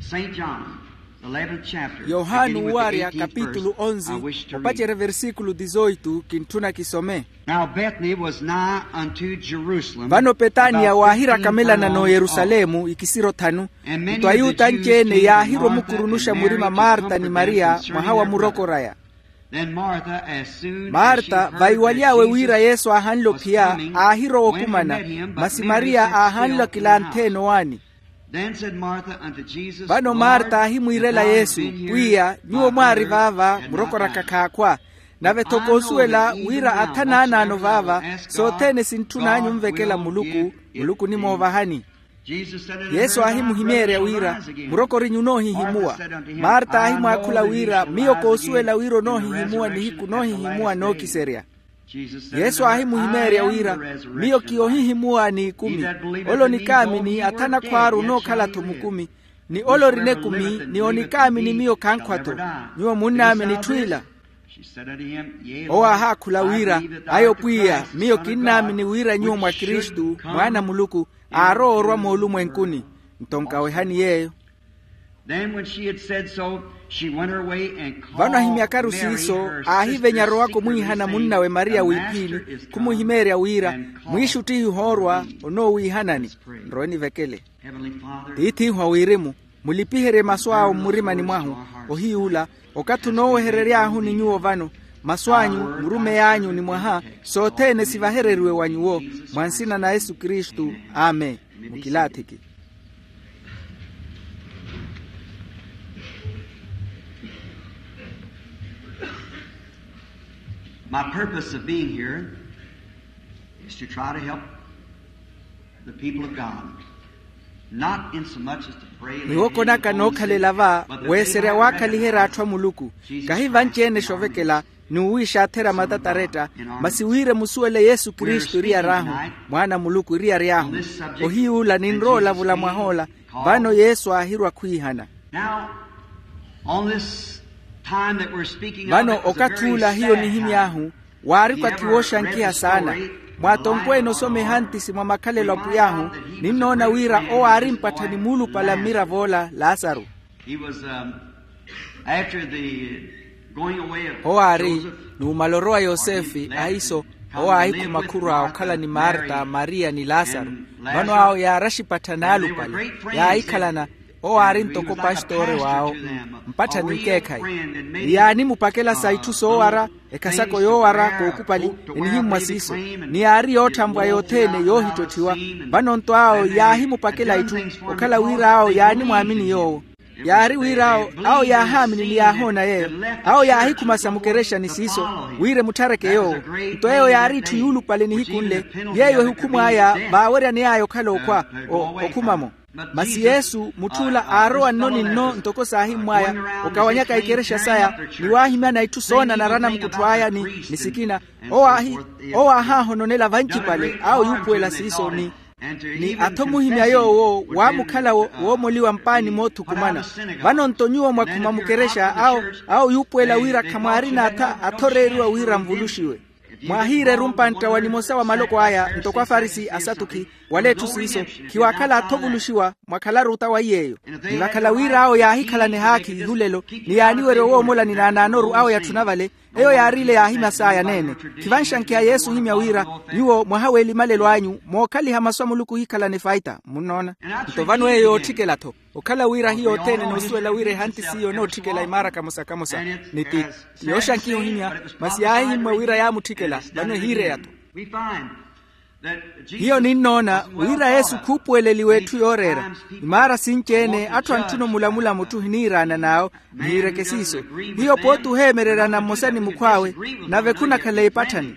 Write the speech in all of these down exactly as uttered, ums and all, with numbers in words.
Saint John, the eleventh chapter, yohani beginning with the wuwarya eighteenth verse, kapitulu onzi, I wish to read. Opacerya versikulu dizoitu kintthuna kisome. Now Bethany was nigh unto Jerusalem, vano petaniya about waahira fifteen kamelana furlongs n'oyerusalemu off. Ikisiro thanu. And many of the Jews came to Martha and Mary to comfort them. Nto ayuta anci-ene yaahirwa omukurunusha murima marta ni mariya mwaha wa muroko oraya. Then Martha, as soon as she heard that Jesus was coming, went and met him, but Mary sat still in the house. Then said Martha unto Jesus, Lord, if thou had been here, my brother had not died. But I know that these things must be fulfilled which are written in the scriptures. Vano marta ahimwiira yesu, pwiya, nyuwo mwaari vaava muroko-raka khaakhwa. Nave thokoosuwela wira athanaana ovaava, sothene sintthun'anyu onvekela muluku, muluku onimoovahani. Yesu aahimuhimeerya wira, muroko orinyu onoohihimuwa? Marta aahimwaakhula wira, miyo koosuwela wira onoohihimuwa nihiku noohihimuwa nookiserya. Yesu aahimuhimeerya wira, miyo kiyo ohihimuwa n'ikumi. Ole onikaamini athana khwaaru onookhala-tho mukumi, ni ole orina ekumi ni onikaamini miyo khankhwa-tho. Nyuwo munnaamini itthu ila? Owo aahaakhula wira, ayo pwiya, miyo kinnaamini wira nyuwo mwa kristu mwaana a muluku, aarowa orwa moolumwenkuni. Nto nkawehani yeeyo. Vano ahimyakaru siiso, aahivenya arowaka omwiihana munnawe mariya wiiphiini, khumuhimeerya wira, mwiixuttihi ohoorwa onoowiihanani. Nrowe nivekele. Tiith'ihu a wirimu, mulipiherye masu awo mmurimani mwahu. Ohiy'ula, okathi onooweherery'ahu ni nyuwo vano, masu anyu, murumeyi anyu ni mwaha, sothene sivahereriwe wa nyuwo, mwa nsina na yesu kristu. Amen. Mukilaathiki. My purpose of being here is to try to help the people of God. Not in so much as to pray. Niwoko naka nookhalela va, weeserya waakhaliherya atthu a muluku. Kahi vanci-ene xovekela, n'uwiixaatherya matataretta, masi wira emusuwele yesu kristu eriyari ahu, mwaana a muluku eriyari ahu. Ohiy'ula ninrowa olavula mwah'ola. Vano yesu aahirwa khwiihana. Vano okathi ula hiyo nihimy'ahu, waari okathi wooxankiha saana. Mwatonkweene osoma ehantisi mwa makhalelo a pwiy'ahu, ninnoona wira owo aari mpatthani muulupale a mmirav'ola lasaru. Owo aari, numala orowa yosefe ahiso, owo aahikhuma khurwa okhala ni marta mariya ni lasaru. Vano awo yaaraxipatthani aalupale, yaahikhalana. Owo aari ntoko opastore w'awo, mpatthani nkeekhayi. Ni yaanimupakela sa itthu soowara, ekhasako yoowara kookupali, enihimmwa siiso. Ni yaari yootthanvwa yothene yoohittotthiwa. Vano nto awo yaahimupakela itthu, okhala wira awo yaanimwaamini yoowo. Yaari wira awo, awo yaahaamini ni yaahoona yeeyo. Awo yaahikhuma sa mukerexani siiso, wira emutthareke yoowo. Nto eyo yaari itthu yuulupale nihiku nle, yeeyo ehukhumu aya vaaweryaney'aya okhala okhwa, okhuma-mo. Masi yesu mutth'ula aarowa nno ni nno ntoko saahimmw'aya, okawanyaka ikerexa saya, ni waahimyana itthu soonanara anamukutthw'aya ni sikina. Owo aahaahononela vancipale awo yuupuwela siiso ni ni athomuhimya yoowo waamukhala woomoliwa mpaani moothukumana. Vano nto nyuwo mwakhuma mukerexa awo, awo yuupuwela wira khamwaarina atha athoreeriwa wira nvuluxiwe. Mwaahiireru mpantta wa nimosa wa maloko aya ntoko afarisi asatukhi, wala etthu siiso, khiwaakhala athovuluxiwa. Mwakhalaru ota wa iy'eyo. Ni vakhala wira awo yaahikhalana ehaakhi ihulelo, ni yaaniwerya owoomolani n'anaanoru awo yatthuna vale, eyo yaari ile yaahimya saya neene. Khivanxankiha yesu ohimya wira, nyuwo mwaha w'elimalelo anyu mookhaliha masu a muluku ohikhalana efaita munnoona. Nto vano eyo yootthikela-tho, okhala wira hiyo othene enoosuwela wira ehantisi iyo enootthikela imaara kamosa-kamosa. Ni ti yooxankiha ohimya, masi yaahihimmwa wira yaamutthikela. Vano ehiireya-tho. Hiyo ninnoona wira yesu khuupuweleliwa etthu yooreera. Imaara sinci-ene atthu antthuna omulamula mutthu ohiniiraana n'awo, nihiireke siiso. Hiyo pooti oheemereryana mmosa ni mukhw'awe, nave khunakhala epatthani.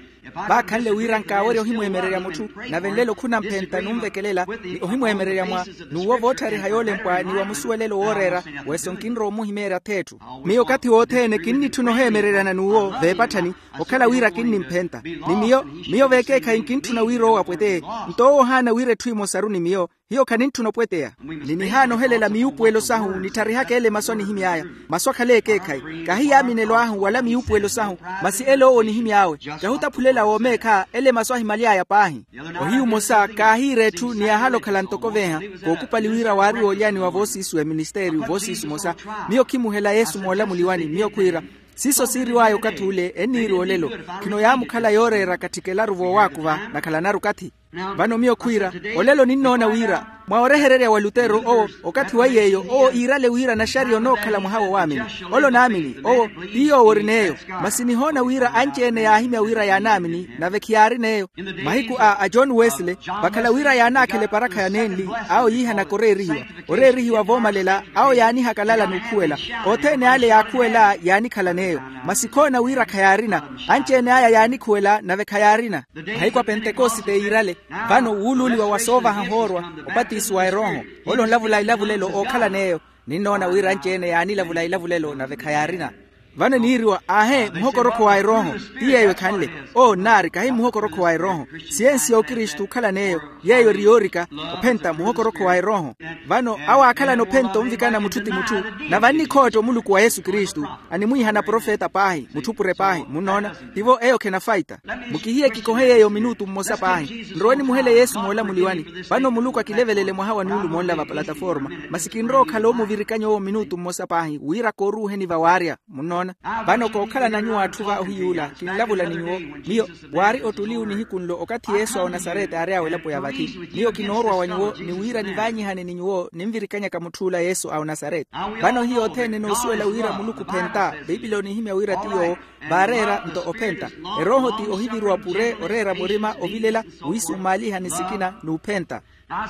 Vaakhanle wira nkaawerya ohimweemererya mutthu, nave nlelo khunamphenta numvekelela, ni ohimweemererya mwa n'uwo vootthariha yoolempwa ni wa musuwelelo wooreera. Weso nkinrowa omuhimeerya ath'etthu. Miyo okathi wothene kinnitthuna oheemereryana n'uwo veepatthani, okhala wira kinnimphenta. Ni miyo, miyo veekeekhayi nkintthuna wira owo apweteye. Nto owo ohaana wira etthu emosaru ni miyo. Hiyo khanintthuna opweteya. Ni nihaana ohelela miyuupuwelo sahu nittharihaka ele masu anihimy'aya. Masu akhale ekeekhayi. Kahi yaaminelo ahu wala miyuupuwelo sahu. Masi ele owo onihimy'awe. Kahutaphulela woomeekha ele masu ahimaly'aya paahi. Ohiyu omosa kaahiira etthu ni yaahala okhala ntoko veeha. Kookupali wira waari woolyaniwa voosiisu ya eministeriyu voosiisu omosa. Miyo khimuhela yesu moolamuliwani miyo khwiira. Siiso siiriw'aya okathi ule enniiri olelo. Khino yaamukhala yooreera katthikelaru voowaakuva nakhalanaru okathi. Vano miyo khwiira, olelo ninnoona wira mwa orehererya wa lutero owo, okathi wa yeeyo owo iirale wira naxariya onookhala mwaha wowaamini. Ole onaamini owo, ti yoowo ori n'eyo. Masi nihoona wira anci-ene yaahimya wira yaanaamini nave khiyaari n'eyo. Mahiku a a john wesley, vakhala wira yaanaakhela eparakha ya nenli, awo yiihanaka oreerihiwa. Oreerihiwa voomalela awo yaanihakalala n'ukhuwela. Othene ale yaakhuwela yaanikhala n'eyo. Masi khoona wira khayaarina. Anci-ene aya yaanikhuwela nave khayaarina. Mahiku a pentekosite yiirale. Vano wuuluuliwa wa soovaha ohoorwa, opatiso wa erooho. Ole onlavula ilavulelo ookhala n'eyo. Ninnoona wira anci-ene yaanilavula ilavulelo nave khayaarina. Vano eniiriwa aahe muhokorokho wa erooho. Ti yeeyo ekhanle. Oo nnaari kahi muhokorokho wa erooho. Siyensi ya okristu okhala n'eyo. Yeeyo eri yoorika ophenta muhokorokho wa erooho. Vano awo aakhalana ophenta onvikana mutthu ti mutthu. Nave annikhootta omuluku wa yesu kristu. Animwiihana profeta paahi mutthupure paahi munnoona. Tivo eyo khenafayita. Mukihiye kikohe yeeyo minutu mmosa paahi nrowe nimuhele yesu moolamuliwani. Vano muluku akilevelele mwaha wa nuulumo nla va plataforma. Masi kinrowa okhala omuvirikanya owo minutu mmosa paahi wira kooruuheni vawaarya. Munnoona. Vano kookhala na nyuwo atthu va ohiy'ula kinlavula ni nyuwo. Miyo waari ottuliwu nihiku nlo okathi yesu a onasarete aary'awe elapo ya vathi. Miyo kinoorwa wa nyuwo ni wira nivaanyihane ni nyuwo ninvirikanyaka mutth'ula yesu a onasarete. Vano hiyo othene noosuwela wira muluku ophenta. Piipili onihimya wira ti yoowo. Vaareera nto ophenta. Erooho ti ohiviriwa pure oreera murima ovilela. Wiisummaalihani sikina n'uphenta.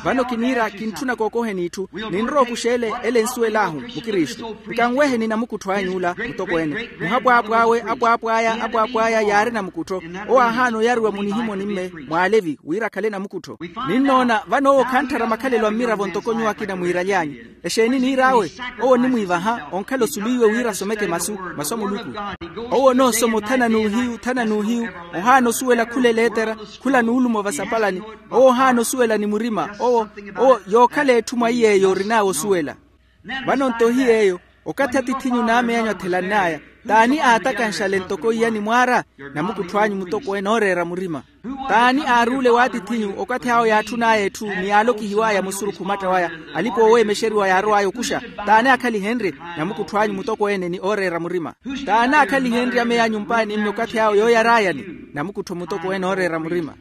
Vano kiniira kintthuna kookoheni itthu. Ninrowa okuxeele ele ensuwel'ahu mukristu nkanweheni namukuttho any'ula mutokweene. Muhapwaapw'awe apwaapw'aya apwaapw'aya yaari namukuttho. Owo aahaana oyariwa munihimoni mme mw'alevi wira akhale namukuttho. Ninnoona vano owo khantthara makhalelo a mmiravo ntoko nyuwo akina mwiiraly'anyu. Exeeni niir'awe? Owo onimwiivaha onkhala osuluwiwe wira asomeke masu masu a muluku. Owo onoosoma othana n'uhiyu othana n'uhiyu. Ohaana osuwela khula eleetera khula nuulumo vasapalani. Owo ohaana osuwela ni murima owo owo yookhala etthu mwa iy'eyo orin'awe osuwela. Vano nto hiy'eyo okathi atithinyu n'amey'anyu athelann'aya t'ani aatakanxale ntoko iya nimwaara? Namukuttho anyu mutokweene ooreera murima. T'ani aaruule w'atithinyu okathi awo yaatthun'aya etthu ni yaalokihiw'aya musurukhu omatta waya alipa ooweemexeriwa yaarow'aya okuxa? T'ani aakhalihenrye? Namukuttho anyu mutokweene ni ooreera murima. T'ani aakhalihenrye ameya nyumpaani mme okathi awo yooyar'ayani? Namukuttho mutokweene ooreera murima.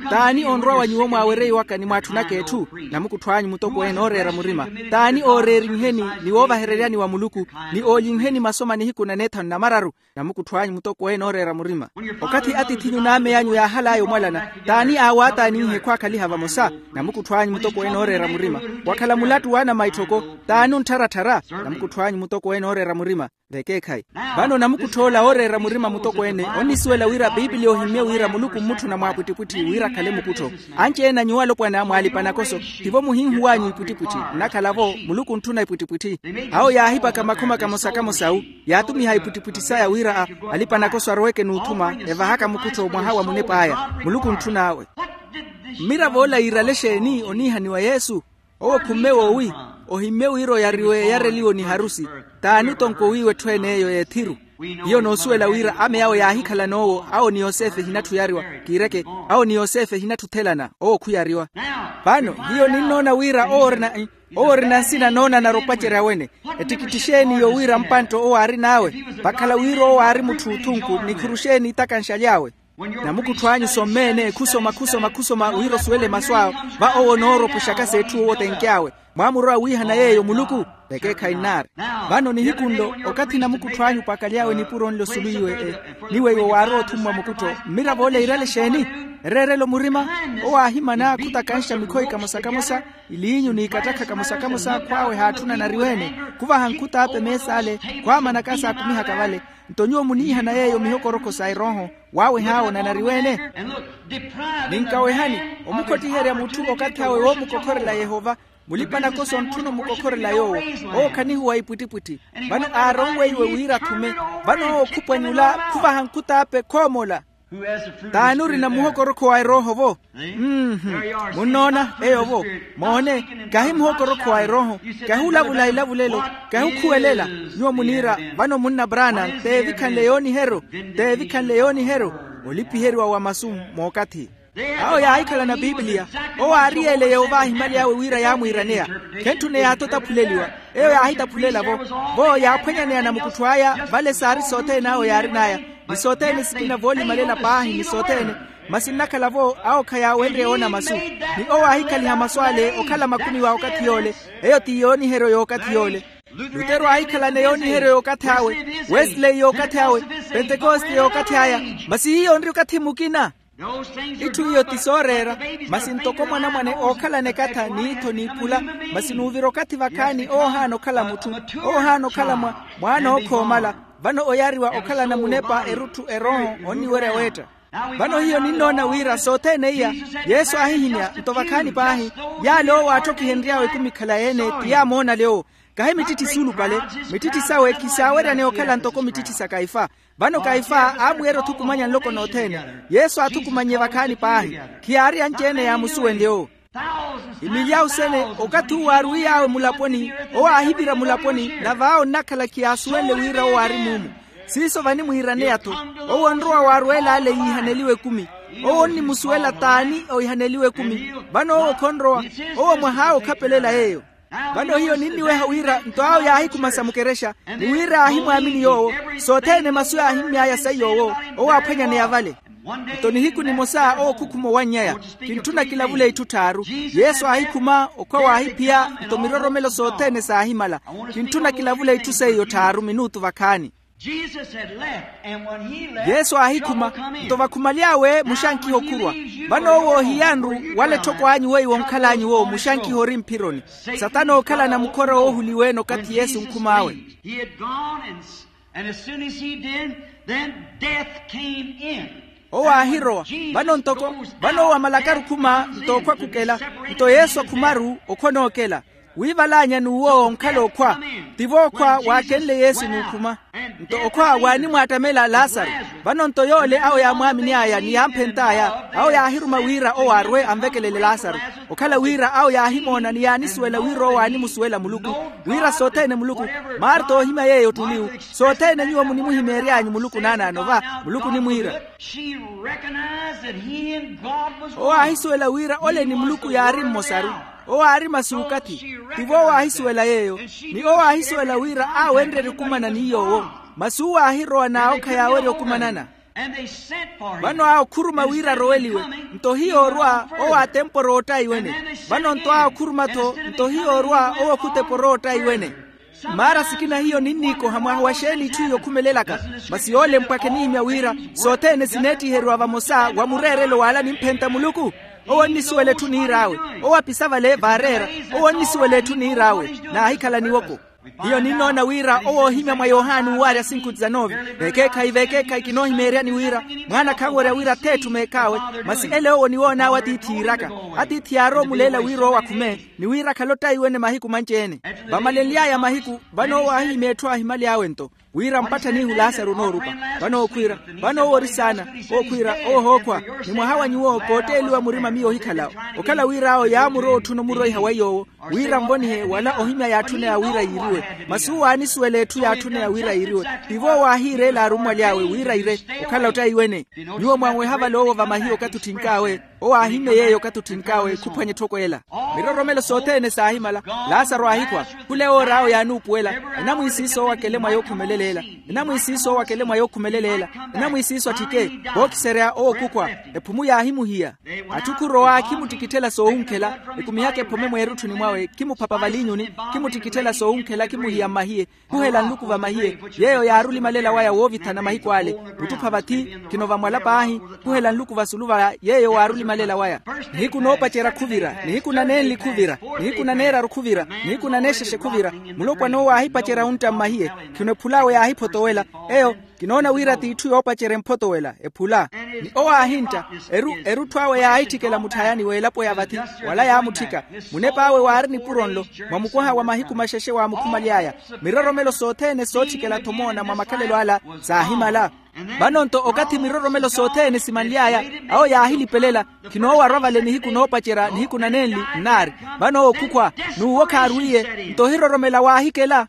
T'ani onrwa wa nyuwo mwaawereiwaka ni mwaatthunaka etthu? Namukuttho anyu mutokweene ooreera murima. T'ani ooreerinheni ni woovahereryani wa muluku ni oolinheni masoma nihiku na neethanu na mararu? Namukuttho anyu mutokweene ooreera murima. Okathi atithinyu n'amey'anyu yaahal'aya omwalana, t'ani aawaataaninhe khwaakhaliha vamosa? Namukuttho anyu mutokweene ooreera murima. Wakhala mulattu w'anamaitthoko, t'ani onttharatthar'a? Namukuttho anyu mutokweene ooreera murima. Vekeekhayi. Vano namukuttho ola ooreera murima mutokweene onnisuwela wira piipili ohimmye wira muluku mmutthuna mwaapwittipwitthi wira akhale mukuttho. Anci-ene a nyuwo alopwana mwaalipanakoso, tivo muhinhuw'anyu ipwittipwitthi nnakhala-vo muluku ontthuna ipwittipwitthi. Awo yaahipaka makhuma kamosa kamosawu, yaatumiha ipwittipwitthi saya wira alipanakoso aroweke n'uthuma evahaka mukuttho mwaha wa munep'aya. Muluku ontthun'awe. Mmirav'ola yiirale exeeni oniihaniwa yesu? Owo khumme woowi ohimmye wira oyariwe eyareliwo ni harusi. T'ani otonko wiiwa etthu en'eyo y'ethiru? Hiyo noosuwela wira ame awo yaahikhala n'owo awo ni yosefe ehinatthu oyariwa. Kiireke, awo ni yosefe ehinatthu othelana owo khuyariwa. Vano hiyo ninnoona wira owo orina owo orina nsina noonanara opacerya wene. Ettikitti exeeni yowira mpantta owo aarin'awe? Vakhala wira owo aari mutthu othunku nikhuru exeeni itakanxaly'awe? Namukuttho anyu sommeene khusoma khusoma khusoma wira osuwele masu awo. Va owo onooropuxaka s'etthu owo otenky'awe. Mwaamuro awiihana yeeyo muluku? Vekeekhayi nnaari. Vano nihiku nlo okathi namukuttho anyu opakalyawe nipuro nlo osuluwiwe e niweiwo waarowa othummwa mukuttho mmirav'ola iirale exeeni? Ereerelo murima. Owo aahimana khutakanxa mikhoyi kamosa kamosa iliinyu n'ikattakha kamosa kamosa khwaaweha atthu nanariweene. Khuvaha nkhut'ape mees'ale khwaamanaka saakumihaka vale. Nto nyuwo muniihana yeeyo mihokorokho sa erooho waaweh'awe nanariweene. Ninkawehani omukhottiherya mutthu okathi awe woomukokhorela yehova. Mulipa-nakoso ontthuna omukokhorela yoowo. Owo khanihuwa ipwittipwitthi. Vano aaronweiwe wira akhume. Vano owo khupwanyula khuvaha nkhut'ape khoomola. T'ani orina muhokorokho wa erooho-vo? Mmm. Munnoona eyo-vo? Moone, kahi muhokorokho wa erooho. Kahi olavula elavulelo. Kahi okhuwelela. Nyuwo muniira, vano munna brana, t'evikhanle yooniheryo. T'evikhanle yooniheryo. Olipiheriwa wa masu. Mookathi awo yaahikhalana pipiliya. Owo aari yeele yoovaha imali awe wira yaamwiiraneya. Khentthuna eyaatho otaphuleliwa. Eyo yaahitaphulelavo. Vo yaaphwanyaneya namukuttho aya vale saari sothene awo yaarin'aya, ni sothene sikina voolimalela paahi ni sothene. Masi nnakhala-vo awo khayaawenrye oona masu. Ni owo aahikhaliha masu ale okhala makumi wa okathi yoole. Eyo ti yooniheryo y'okathi yoole. Lutero aahikhalana yooniheryo y'okathi awe. Wesley y'okathi awe. Pentekoste y'okathi aya. Masi hiyo onri okathi mukina. Itthu iyo ti sooreera. Masi ntoko mwanamwane ookhalana ekatha n'ittho n'iphula. Masi nuuvira okathi vakhaani owo ohaana okhala mutthu. Owo ohaana okhala mwa mwaana ookhoomala. Vano oyariwa okhalana munepa erutthu erooho onniwerya weetta. Vano hiyo ninnoona wira sothene iya yesu aahihimya nto vakhaani paahi. Yaale owo aatthokihenry'awe ekumi ekhalayi-ene ti yaamoonale owo. Kahi mittitti suulupale. Mittitti sawe khisaaweryane okhala ntoko mittitti sa kaifa. Vano kaifa aamwiira othukumanya nloko nothene. Yesu aathukumannye vakhaani paahi. Khiyaari anci-ene yaamusuwenle owo. Imilyawu sene okathi uwo aarwiy'awe mulaponi. Owo aahivira mulaponi. Nave awo nnakhala khiyaasuwenle wira owo aari muumu. Siiso vanimwiiraneya-tho. Owo onrowa waarweela ale yiihaneliwe ekumi. Owo onnimusuwela t'ani ohihaneliwe ekumi. Vano owo khonrowa. Owo mwah'awe okhapelela yeeyo. Vano hiyo ninniweha wira nto awo yaahikhuma sa mukerexa. Ni wira aahimwaamini yoowo. Sothene masu yaahimmy'aya saiy'owo. Owo aaphwanyaneya vale. Nto nihiku nimosa owo okhukhuma owanny'aya. Kintthuna kilavule itthu tthaaru. Yesu aahikhuma okhwa waahiphiya. Nto miroromelo sothene saahimala. Kintthuna kilavule itthu seiyo tthaaru minutu vakhaani. Yesu aahikhuma. Nto vakhumaly'awe muxankiha okhurwa. Vano owo ohiyanru wala etthoko anyu weiwo onkhal'anyu wo muxankiha ori mphironi. Satana ookhalana mukhora woohuliwe-ene okathi yesu onkhum'awe. Owo aahirowa. Vano ntoko vano owo amalakaru okhuma. Nto okhwa khukela. Nto yesu akhumaru okhwa onookela. Wiival'anya n'uwo onkhala okhwa. Tivo okhwa waakenle yesu n'ukhuma. Nto okhwa waanimwaattamela lasaru. Vano nto yoole awo yaamwaamin'aya ni yaamphentt'aya awo yaahiruma wira owo arwe anvekelele lasaru. Okhala wira awo yaahimoona ni yaanisuwela wira owo aanimusuwela muluku. Wira sothene muluku marta oohimya yeeyo ottuniwu. Sothene nyuwo munimuhimeery'anyu muluku naanaano va muluku onimwiira. Owo aahisuwela wira ole ni muluku yaari mmosaru. Owo aari masuukathi. Tivo owo aahisuwela yeeyo. Ni owo aahisuwela wira aawenrerye okumana ni yoowo. Masi uwo aahirowa n'awo khayaawerya okumanana. Vano aakhuruma wira aroweliwe. Nto hiyo orwa owo atempora oottaiwene. Vano nto aakhuruma-tho. Nto hiyo orwa owo khutepora oottaiwene. Maara sikina hiyo ninniikoha mwaha wa xeeni itthu iyo okhumelelaka. Masi yoole mpwakha enihimya wira sothene sineettiheriwa vamosa wa mureerelo wala nimphenta muluku. Owo onnisuwela etthu niir'awe. Owo apisa vale vaareera. Owo onnisuwela etthu niir'awe. Naahikhala niwoko. Hiyo ninnoona wira owo oohimya mwa yohani uuwaarya sinku dizanove. Vekeekhayi vekeekhayi kinoohimeeryani wira mwaana khanwerya wira ath'etthu meekh'awe. Masi ele owo niwoon'awe atiithi yiiraka. Atiithi yaarowa omuleela wira owo akhume. Ni wira akhale ottaiwene mahiku manci-ene. Vamalenly'aya mahiku vano owo aahihimya etthu aahimali awe nto wira mpattha n'ihu lasaru onoorupa. Vano owo khwiira vano owo ori saana. Owo khwiira owo ohookhwa ni mwaha wa nyuwo kootteeliwa murima miyo ohikhala. Okhala wira awo yaamurowa otthuna omuroiha wa yoowo wira anvonihe wala ohimya yaatthuneya wira yiiriwe. Masi uwo aanisuwela etthu yaatthuneya wira yiiriwe. Tivo owo aahiireela arummwaly'awe wira ire okhala ottaiwene. Nyuwo mwanweha vale owo vamahiye okathi otthink'awe. Owo aahimmye yeeyo okathi otthink'awe khuphwanya etthoko ela. Miroromelo sothene saahimala. Lasaru aahikhwa. Khula ewoor'awe yaanuupuwela. Enamwiisiiso owo akele mwa yookhumeleleela. Enamwiisiiso owo akele mwa yookhumeleleela. Enamwiisiiso atthike. Vookiserya owo khukhwa. Ephumu yaahimuhiya. Atthu khurowa khimuttikitthela soowunkhela. Ekumihaka ephome mweerutthuni mwawe khimuphapa valiinyuni. Khimuttikitthela soowunkhela khimuhiya mmahiye. Khuhela nluku vamahiye. Yeeyo yaari olimalela waya woovithana mahiku ale. Muttupha vathi. Khino vamwala paahi. Khuhela nluku vasulu vaya yeeyo waari olimalela waya. Nihiku noopacerya khuvira nihiku naneenli khuvira. Nihiku naneeraru khuvira. Nihiku naneexexe khuvira. Mulopwana owo aahipacerya ontta mmahiye. Khino ephul'awe yaahiphotowela. Eyo kinoona wira t'itthu yoopacerya emphotowela ephula. Ni owo aahintta. Erutthu awe yaahitthikela mutthayani w'elapo ya vathi. Wala yaamutthika. Munep'awe waari nipuro nlo. Mwa mukwaha wa mahiku maxexe waamukhumaly'aya. Miroromelo sothene sootthikela-tho moona mwa makhalelo ala saahimala. Vano-nto okathi miroromelo sothene simanly'aya, awo yaahilipelela, khinoowarwa vale nihiku noopacerya nihiku na nenli nnaari. Vano owo khukhwa, n'uwo khaarwiiye. Nto ohiroromela waahikela.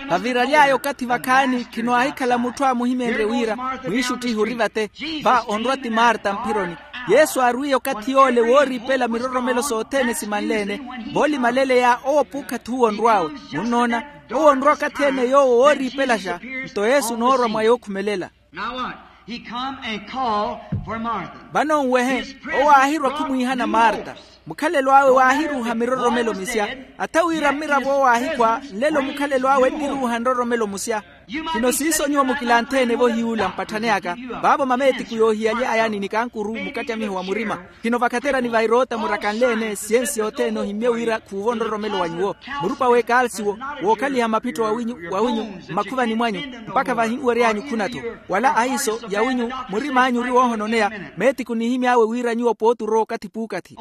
Vaviraly'aya okathi vakhaani khino aahikhala mutthu aamuhimenrye wira, mwiixuttihi ori vate. Va onrwa ti marta mphironi. Yesu aarwiiye okathi yoole wooriipela miroromelo sothene simanle-ene. Voolimaleleya owo puukhathi uwo onrw'awe. Munnoona, owo onrwa okathi-ene yoowo wooriipelaxa. Nto yesu onoorwa mwa yookhumelela. Vano nwehe, owo aahirwa khumwiihana marta. Mukhalelo awe waahiruuha miroromelo misya. Atha wira mmiravo owo aahikhwa, nlelo mukhalelo awe enniruuha nroromelo musya. Khino siiso nyuwo mukilanthe-ene-vo hiy'ula mpatthane aka. Vaavo mameetiku yoohiyalya ayani ni kankuru mukattamiho wa murima. Khino vakhaterani va eroota murakanle-ene siyensi yothene ohimmye wira khuuvo nroromelo wa nyuwo. Murupa w'ekalsiwo, wookhaliha maphitto wawinyu mmakhuvani mwanyu, mpakha vahinweryanyu khuna-tho. Wala ahiiso yawinyu, murim'anyu ori woohononeya. Meetiku nihimy'awe wira nyuwo pooti orowa okathi puukathi.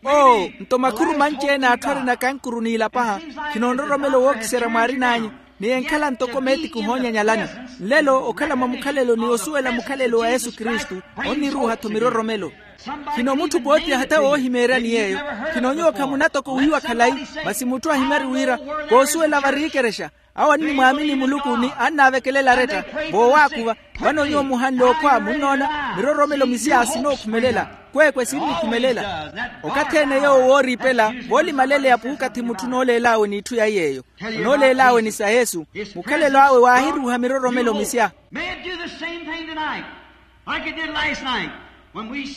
Oo, nto makhuru manci-ene atthu arina kankuru n'ilapaha. Khino nroromelo wookiserya mwaarin'anyu, ni enkhala ntoko meetiku ohoonyanyalani. Nlelo okhala mwa mukhalelo ni osuwela mukhalelo wa yesu kristu, onniruuha-tho miroromelo. Khino mutthu pooti ahatha woohimeeryani yeeyo. Khino nyuwo khamuna toko wiiwa khalayi, masi mutthu ahimyari wira, koosuwela variikerexa. Awo annimwaamini muluku ni annaavekelela aretta. Voowaakuva. Vano nyuwo muhanle okhwa munnoona, miroromelo misya sinookhumelela. Kweekwe sinnikhumelela. Okathi-ene yoowo wooriipela, voolimaleleya puukathi mutthu onooleel'awe n'itthu ya iy'eyo, onooleel'awe ni sa yesu. Mukhalelo awe waahiruuha miroromelo misya.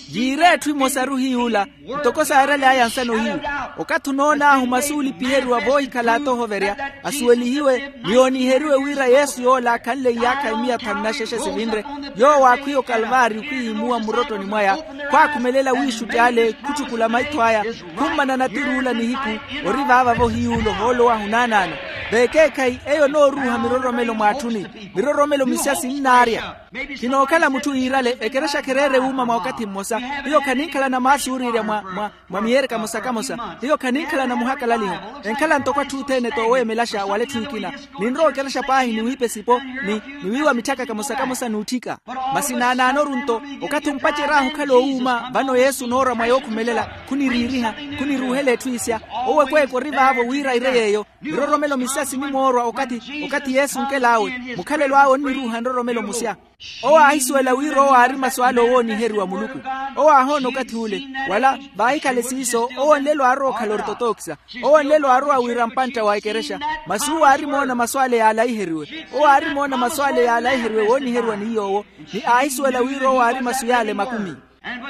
Yiira etthu emosaru hiy'ula, ntoko saarery'aya nsano hiyu. Okathi onoon'ahu masu oolipiheriwa voohikhala ata ohoverya, asuwelihiwe ni ooniheriwe wira yesu yoola akhanle iyaakha imiya thanu na xexe sivinre. Yoowo aakhwiya okalvaari okhwihimuwa mmurottoni mwaya, khwaakhumelela wiixutti ale khutthukhula maitho aya. Khummana natir'ula nihiku, ori vaava-vo hiy'ula ohoolo wahu naanaano. Veekeekhayi eyo onooruuha miroromelo mw'atthuni. Miroromelo misya sinnaarya. Khinookhala mutthu yiirale ekerexa khereere wuuma mwa okathi mmosa. Hiyo khaninkhalana maasuuriirya mwa mwa miyereka mosa kamosa. Hiyo khaninkhalana muhakalaliho. Enkhala ntoko atthu othene tooweemelaxa wala etthu ekina. Ninrowa okerexa paahi ni wiipa esipo, ni wiiwa mitthaka kamosa kamosa n'utthika. Masi naanaanoru nto, okathi ompacer'ahu okhala owuuma vano yesu onoora mwa yookhumelela. Khuniriiriha, khuniruuhela etthu isya. Owo ekweekwe ori vaavo wira ire yeeyo. Miroromelo misya sinimoorwa okathi okathi yesu onkel'awe. Mukhalelo awe onniruuha nroromelo musya. Owo aahisuwela wira owo aari masu ale owooniheriwa muluku. Owo aahoona okathi ule. Wala vaahikhale siiso owo nlelo aarowa okhala ortotokisa. Owo nlelo aarowa wira mpantta wa ekerexa. Masi uwo aarimoona masu ale yaalahiheriwe. Owo aarimoona masu ale yaalahiheriwe wooniheriwa ni yoowo. Ni aahisuwela wira owo aari masu yale makumi.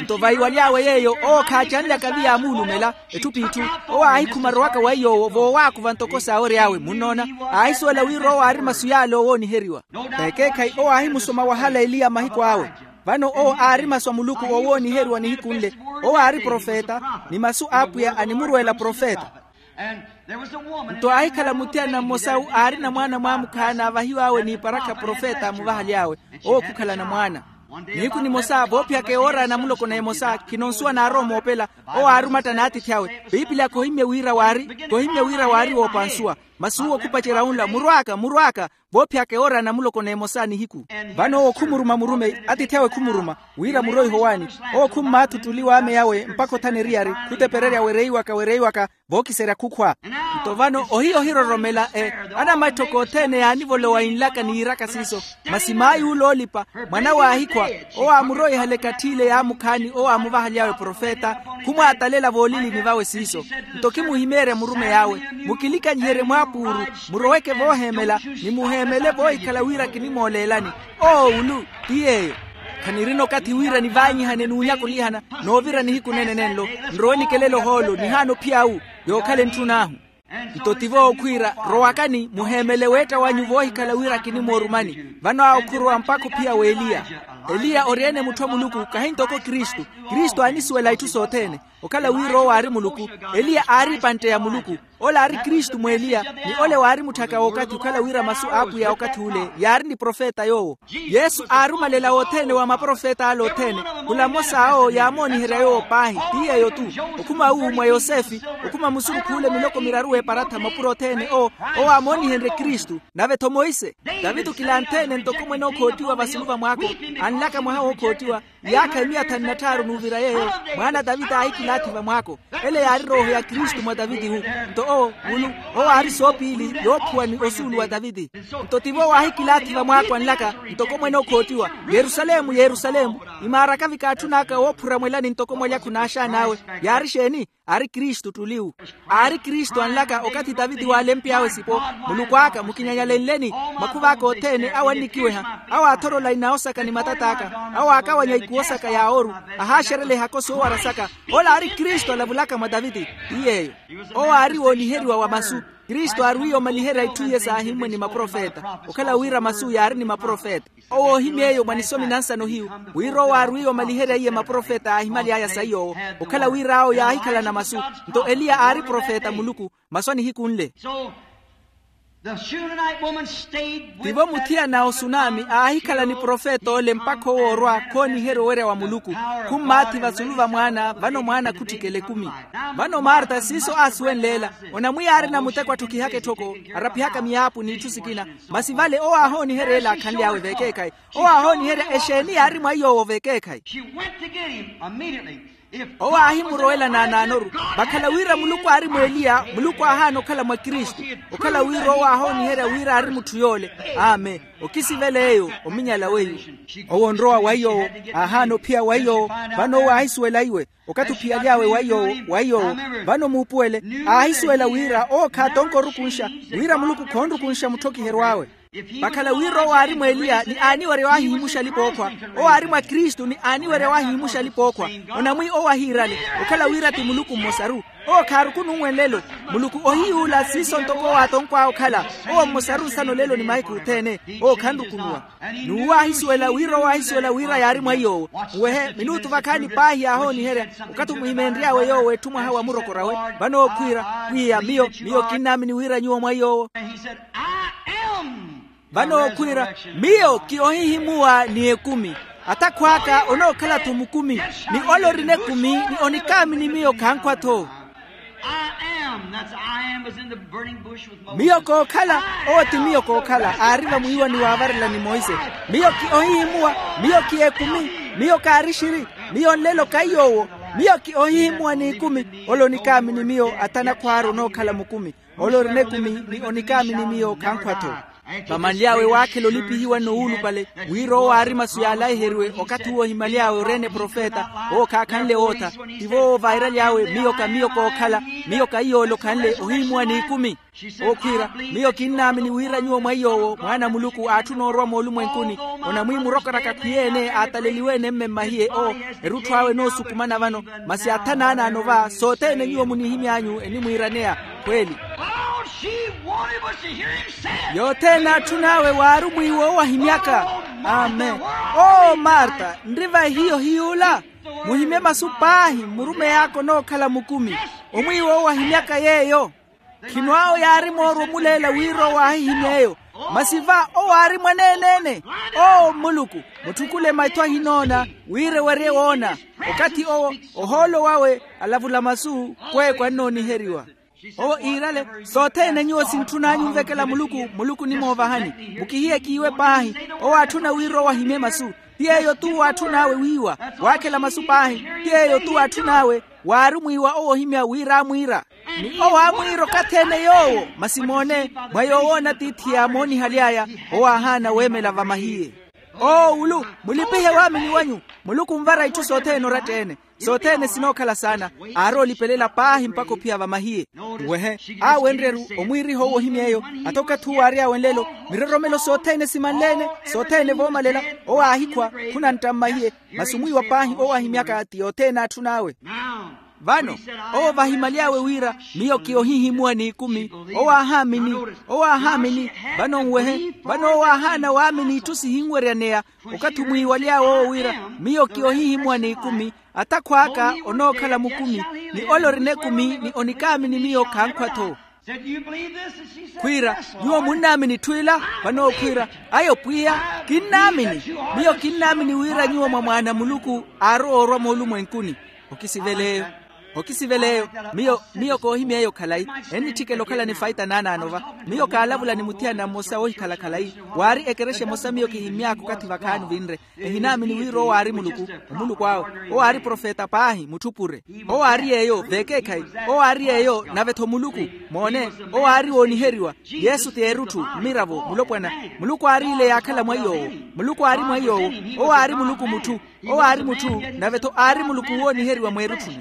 Nto vaiwaly'awe yeeyo owo khaacanlyaka viya amuulumela. Etthu p'itthu. Owo aahikhuma arowaka weiyo owo voowaakuva ntoko saawery'awe munnoona. Aahisuwela wira owo aari masu yale owooniheriwa. Veekeekhayi owo aahimusoma wahala eliya mahiku awe. Vano owo aari masu a muluku owooniheriwa nihiku nle. Owo aari profeta. Ni masu a apwiya animurweela profeta. Nto aahikhala muthiyanina mmosa aarina mwaana mwaamukhaana aavahiw'awe n'iparakha profeta amuvahaly'awe. Owo khukhalana mwaana. Nihiku nimosa voophiyaka ewoora ya namuloko n'emosa khino nsuwa naarowa omoopela. Owo aari omatta n'atiithi awe. Piipili aka ohimmye wira waari ohimmye wira waari woopa nsuwa. Masi uwo khupacerya wunla murw'aka murw'aka. Voophiyaka ewoora ya namuloko n'emosa nihiku. Vano owo khumuruma murumeyi atiithi awe khumuruma. Wira muroiho waani. Owo khummaatha ottuli w'ame yawe mpakha othana eriyari. Khutepererya wereiwaka wereiwaka. Vookiserya khukhwa. Nto vano ohiya ohiroromela e anamatthoka othene yaanivolowa inlaka ni yiiraka siiso. Masi maay'ule oolipa mwan'awe aahikhwa. Owo aamuroihala ekathi ile yaamukhaani owo aamuvahaly'awe profeta. Khumwaatalela voolilini vawe siiso. Nto khimuhimeerya murumeyi awe. Mukilikanyiherye mwaapuuru. Muroweke vooheemela. Ni muheemele voohikhala wira kinimooleelani. Oowulu ti yeeyo. Khanirina okathi wira nivaanyihane n'unyakulihana. Noovira nihiku nene nenlo. Nrowe nikelela ohoolo nihaana ophiya awu. Yookhala entthun'ahu. Nto tivo okhwiira rowakani muheemele weetta wanyu voohikhala wira kinimoorumani. Vano awo khurowa mpakha ophiya w'eliya. Eliya ori-ene mutthu a muluku kahi ntoko kristu. Kristu aanisuwela itthu sothene. Okhala wira owo aari muluku, eliya aari epantte ya muluku. Ole aari kristu mw'eliya, ni ole waari mutthaka w'okathi okhala wira masu a apwiya okathi ule yaari ni profeta yoowo. Yesu aarumalela wothene wa maprofet'ale othene. Khula mmosa awo yaamooniherya yoowo paahi, ti yeeyo-tu. Okhuma uwu mwa yosefe, okhuma musurukh'ule miloko miraru w'eparatha mapuro othene owo, owo aamoonihenrye kristu. Nave-tho monse, taviti okilanthene ntoko mwene okhoottiwa vasulu va mwaako, anlaka mwaha wookhoottiwa, iyaakha emiya thanu na tthaaru n'uvira yeeyo, mwaana a taviti aahikilaathi vamwaako. Ele yaari rooho ya kristu mwa taviti-hu. Nto owo, mulu, owo aari soopiili yoophuwa ni osuulu wa taviti. Nto tivo waahikilaathi vamwaako anlaka, ntoko mwene okhoottiwa, yerusalemu, yerusalemu, imaaraka vikaatthun'aka woophura mwelani ntoko mwalyakhu n'axaan'awe. Yaari exeeni? Aari kristu ttuli-wu. Aari kristu anlaka okathi taviti waalempy'awe sipo, muluku aka mukinyanyalenleni, makhuv'aka othene awo annikiweha, awo aathorola inawo saka ni matat'aka, awo aakawanya ikuwo saka ya ooru, ahaaxerela ehako soowara saka. Ole aari kristu alavulaka mwa taviti. Ti yeeyo. Owo aari wooniheriwa wa masu. Kristu aarwiiye omaliherya itthu iye saahimmwe ni maprofeta. Okhala wira masu yaari ni maprofeta. Owo oohimy'eyo mwa nisomi na nsano hiyu, wira owo aarwiiye omaliherya iye maprofeta aahimaly'aya saiy'owo, okhala wira awo yaahikhalana masu. Nto eliya aari profeta a muluku. Masu a nihiku nle. Tivo muthiyana a osunami aahikhala ni profeta ole mpakha owoorwa khooniherya owerya wa muluku. Khummaathi vasulu va mwaana vano mwaana khutthikela ekumi. Vano marta siiso aasuwenle ela. Onamwiya aarina muteko atthokihaka etthoko, araphihaka miyaapu n'itthu sikina. Masi vale owo aahooniherya ela akhanly'awe vekeekhayi. Owo aahooniherya exeeni yaari mwa iy'owo vekeekhayi. Owo aahimurowela naanaanoru. Vakhala wira muluku aari mw'eliya muluku aahaana okhala mwa kristu. Okhala wira owo aahooniherya wira aari mutthu yoole. Amen. Okisivela eyo ominyala weiwo. Owo onrowa wa iy'owo, aahaana ophiya wa iy'owo. Vano owo aahisuwela iwe. Okathi ophiyaly'awe wa iy'owo, wa iy'owo. Vano muupuwele, aahisuwela wira owo khaatonka orukunxa, wira muluku khoonrukunxa mutthokiheryo awe. Vakhala wira owo aari mw'eliya ni aaniwerya waahihimuxa alipa-ookhwa. Owo aari mwa kristu ni aaniwerya waahihimuxa alipa-ookhwa. Onamwi owo ahiirale, okhala wira ti muluku mmosaru. Owo khaarukunu nwe nlelo. Muluku ohiyuula siiso ntoko owo aatonkw'awe okhala. Owo mmosaru nsano lelo ni mahiku othene. Owo khanrukunuwa. N'uwo aahisuwela wira owo aahisuwela wira yaari mwa iy'owo. Muwehe minuutu vakhaani paahi yaahooniherya. Okathi omuhimeenry'awe yoowo etthu mwaha wa murokor'awe, vano ookhwiira, pwiya miyo miyo kinnaamini wira nyuwo mwa iy'owo. Vano ookhwiira, miyo ki ohihimuwa ni ekumi. Atakhw'aka onookhala-tho mukumi. Ni ole orina ekumi ni onikaamini miyo khankhwa-tho. Miyo kookhala. Owo ti miyo kookhala aari vamwiiwani waavarela ni monse. Miyo ki ohihimuwa. Miyo ki ekumi. Miyo kaari xiri. Miyo nlelo kaiy'owo. Miyo ki ohihimuwa n'ikumi. Ole onikaamini miyo atanakhw'aru onookhala mukumi. Ole orina ekumi ni onikaamini miyo khankhwa-tho. Vamanly'awe waakhela olipihiwa n'owuulupale, wira owo aari masu yaalaiheriwe okathi uwo ohimaly'awe ori-ene profeta. Owo khaakhanle wootha. Tivo owo vairaly'awe miyo ka miyo kookhala. Miyo ka iyoole okhanle ohihimuwa n'ikumi. Ookhwiira, miyo kinnaamini wira nyuwo mwa iy'owo mwaana a muluku aatthuna orwa moolumwenkuni. Onamwiimurokoraka khwiyeene aataleliwe-ene mme mmahiye owo. Erutthu awe enoosukumana vano. Masi atha naanaano va sothene nyuwo munihimy'anyu enimwiiraneya. Khweli. Yothene aatthun'awe waari omwiiwa owo ahimyaka. Amen. Oo marta, nri va ehiyo hiy'ula? Muhimye masu paahi mmurumeyi aka onookhala mukumi. Omwiiwa owo ahimyaka yeeyo. Khino awo yaari moorwa omuleela wira owo aahihimy'eyo. Masi va owo aari mwaneene-ene. Oo mmuluku, mutthukule maitho ahinoona wira ewerye woona. Okathi owo, ohoolo wawe alavula masu, kweeko annooniheriwa. Owo iirale, sothene nyuwo sintthun'anyu onvekela muluku muluku onimoovahani. Mukihiye kiiwe paahi. Owo aatthuna wira owo ahimye masu. Ti yeeyo-tu waatthun'awe wiiwa. Waakhela masu paahi. Ti yeeyo-tu waatthun'awe. Waari omwiiwa owo ohimya wira aamwiira. Ni owo aamwiira okathi-ene yoowo masi moone, mwa yoowoona tiithi yaamoonihaly'aya. Owo aahaana weemela vamahiye. Oo ulu, mulipihe waamini wanyu. Muluku onvara itthu sothene oratta-ene. Sothene sinookhala saana. Aari olipelela paahi mpakha ophiya vamahiye. Wehe, aawenrye-ru omwiiriha owo ohimy'eyo. Ata okathi uwo aary'awe nlelo, miroromelo sothene simanle-ene. Sothene voomalela. Owo aahikhwa, khunantta mmahiye. Masi omwiiwa paahi owo ahimyaka ti yothene aatthun'awe. Vano owo vahimaly'awe wira, miyo ki ohihimuwa n'ikumi. Owo aahaamini. Owo aahaamini. Vano nwehe, vano owo aahaana waamini itthu sihinweryaneya. Okathi omwiiwaly'awe owo wira, miyo ki ohihimuwa n'ikumi. Atakhw'aka onookhala mukumi, ni ole orina ekumi ni onikaamini miyo khankhwa-tho. Khwiira, nyuwo munnaamini itthu ila? Vano owo khwiira, ayo pwiya, kinnaamini. Miyo kinnaamini wira nyuwo mwa mwaana a muluku, aarowa orwa moolumwenkuni. Okisiveleeyo. Okisiveleeyo. Miyo miyo koohimy'eyo khalayi. Ennitthikela okhala ni faita naanaano va. Miyo kaalavula ni muthiyana mmosa oohikhala khalayi. Waari ekerexa emosa miyo kihimmy'aka okathi vakhaani vinre. Ehinaamini wira owo aari muluku. Omuluku awe. Owo aari profeta paahi mutthu pure. Owo aari yeeyo veekeekhayi. Owo aari yeeyo nave-tho muluku. Moone. Owo aari wooniheriwa. Yesu ti erutthu, mmiravo, mulopwana. Muluku aariile yaakhala mwa iy'owo. Muluku aari mwa iy'owo. Owo aari muluku mutthu. Owo aari mutthu. Nave-tho aari muluku wooniheriwa mweerutthuni.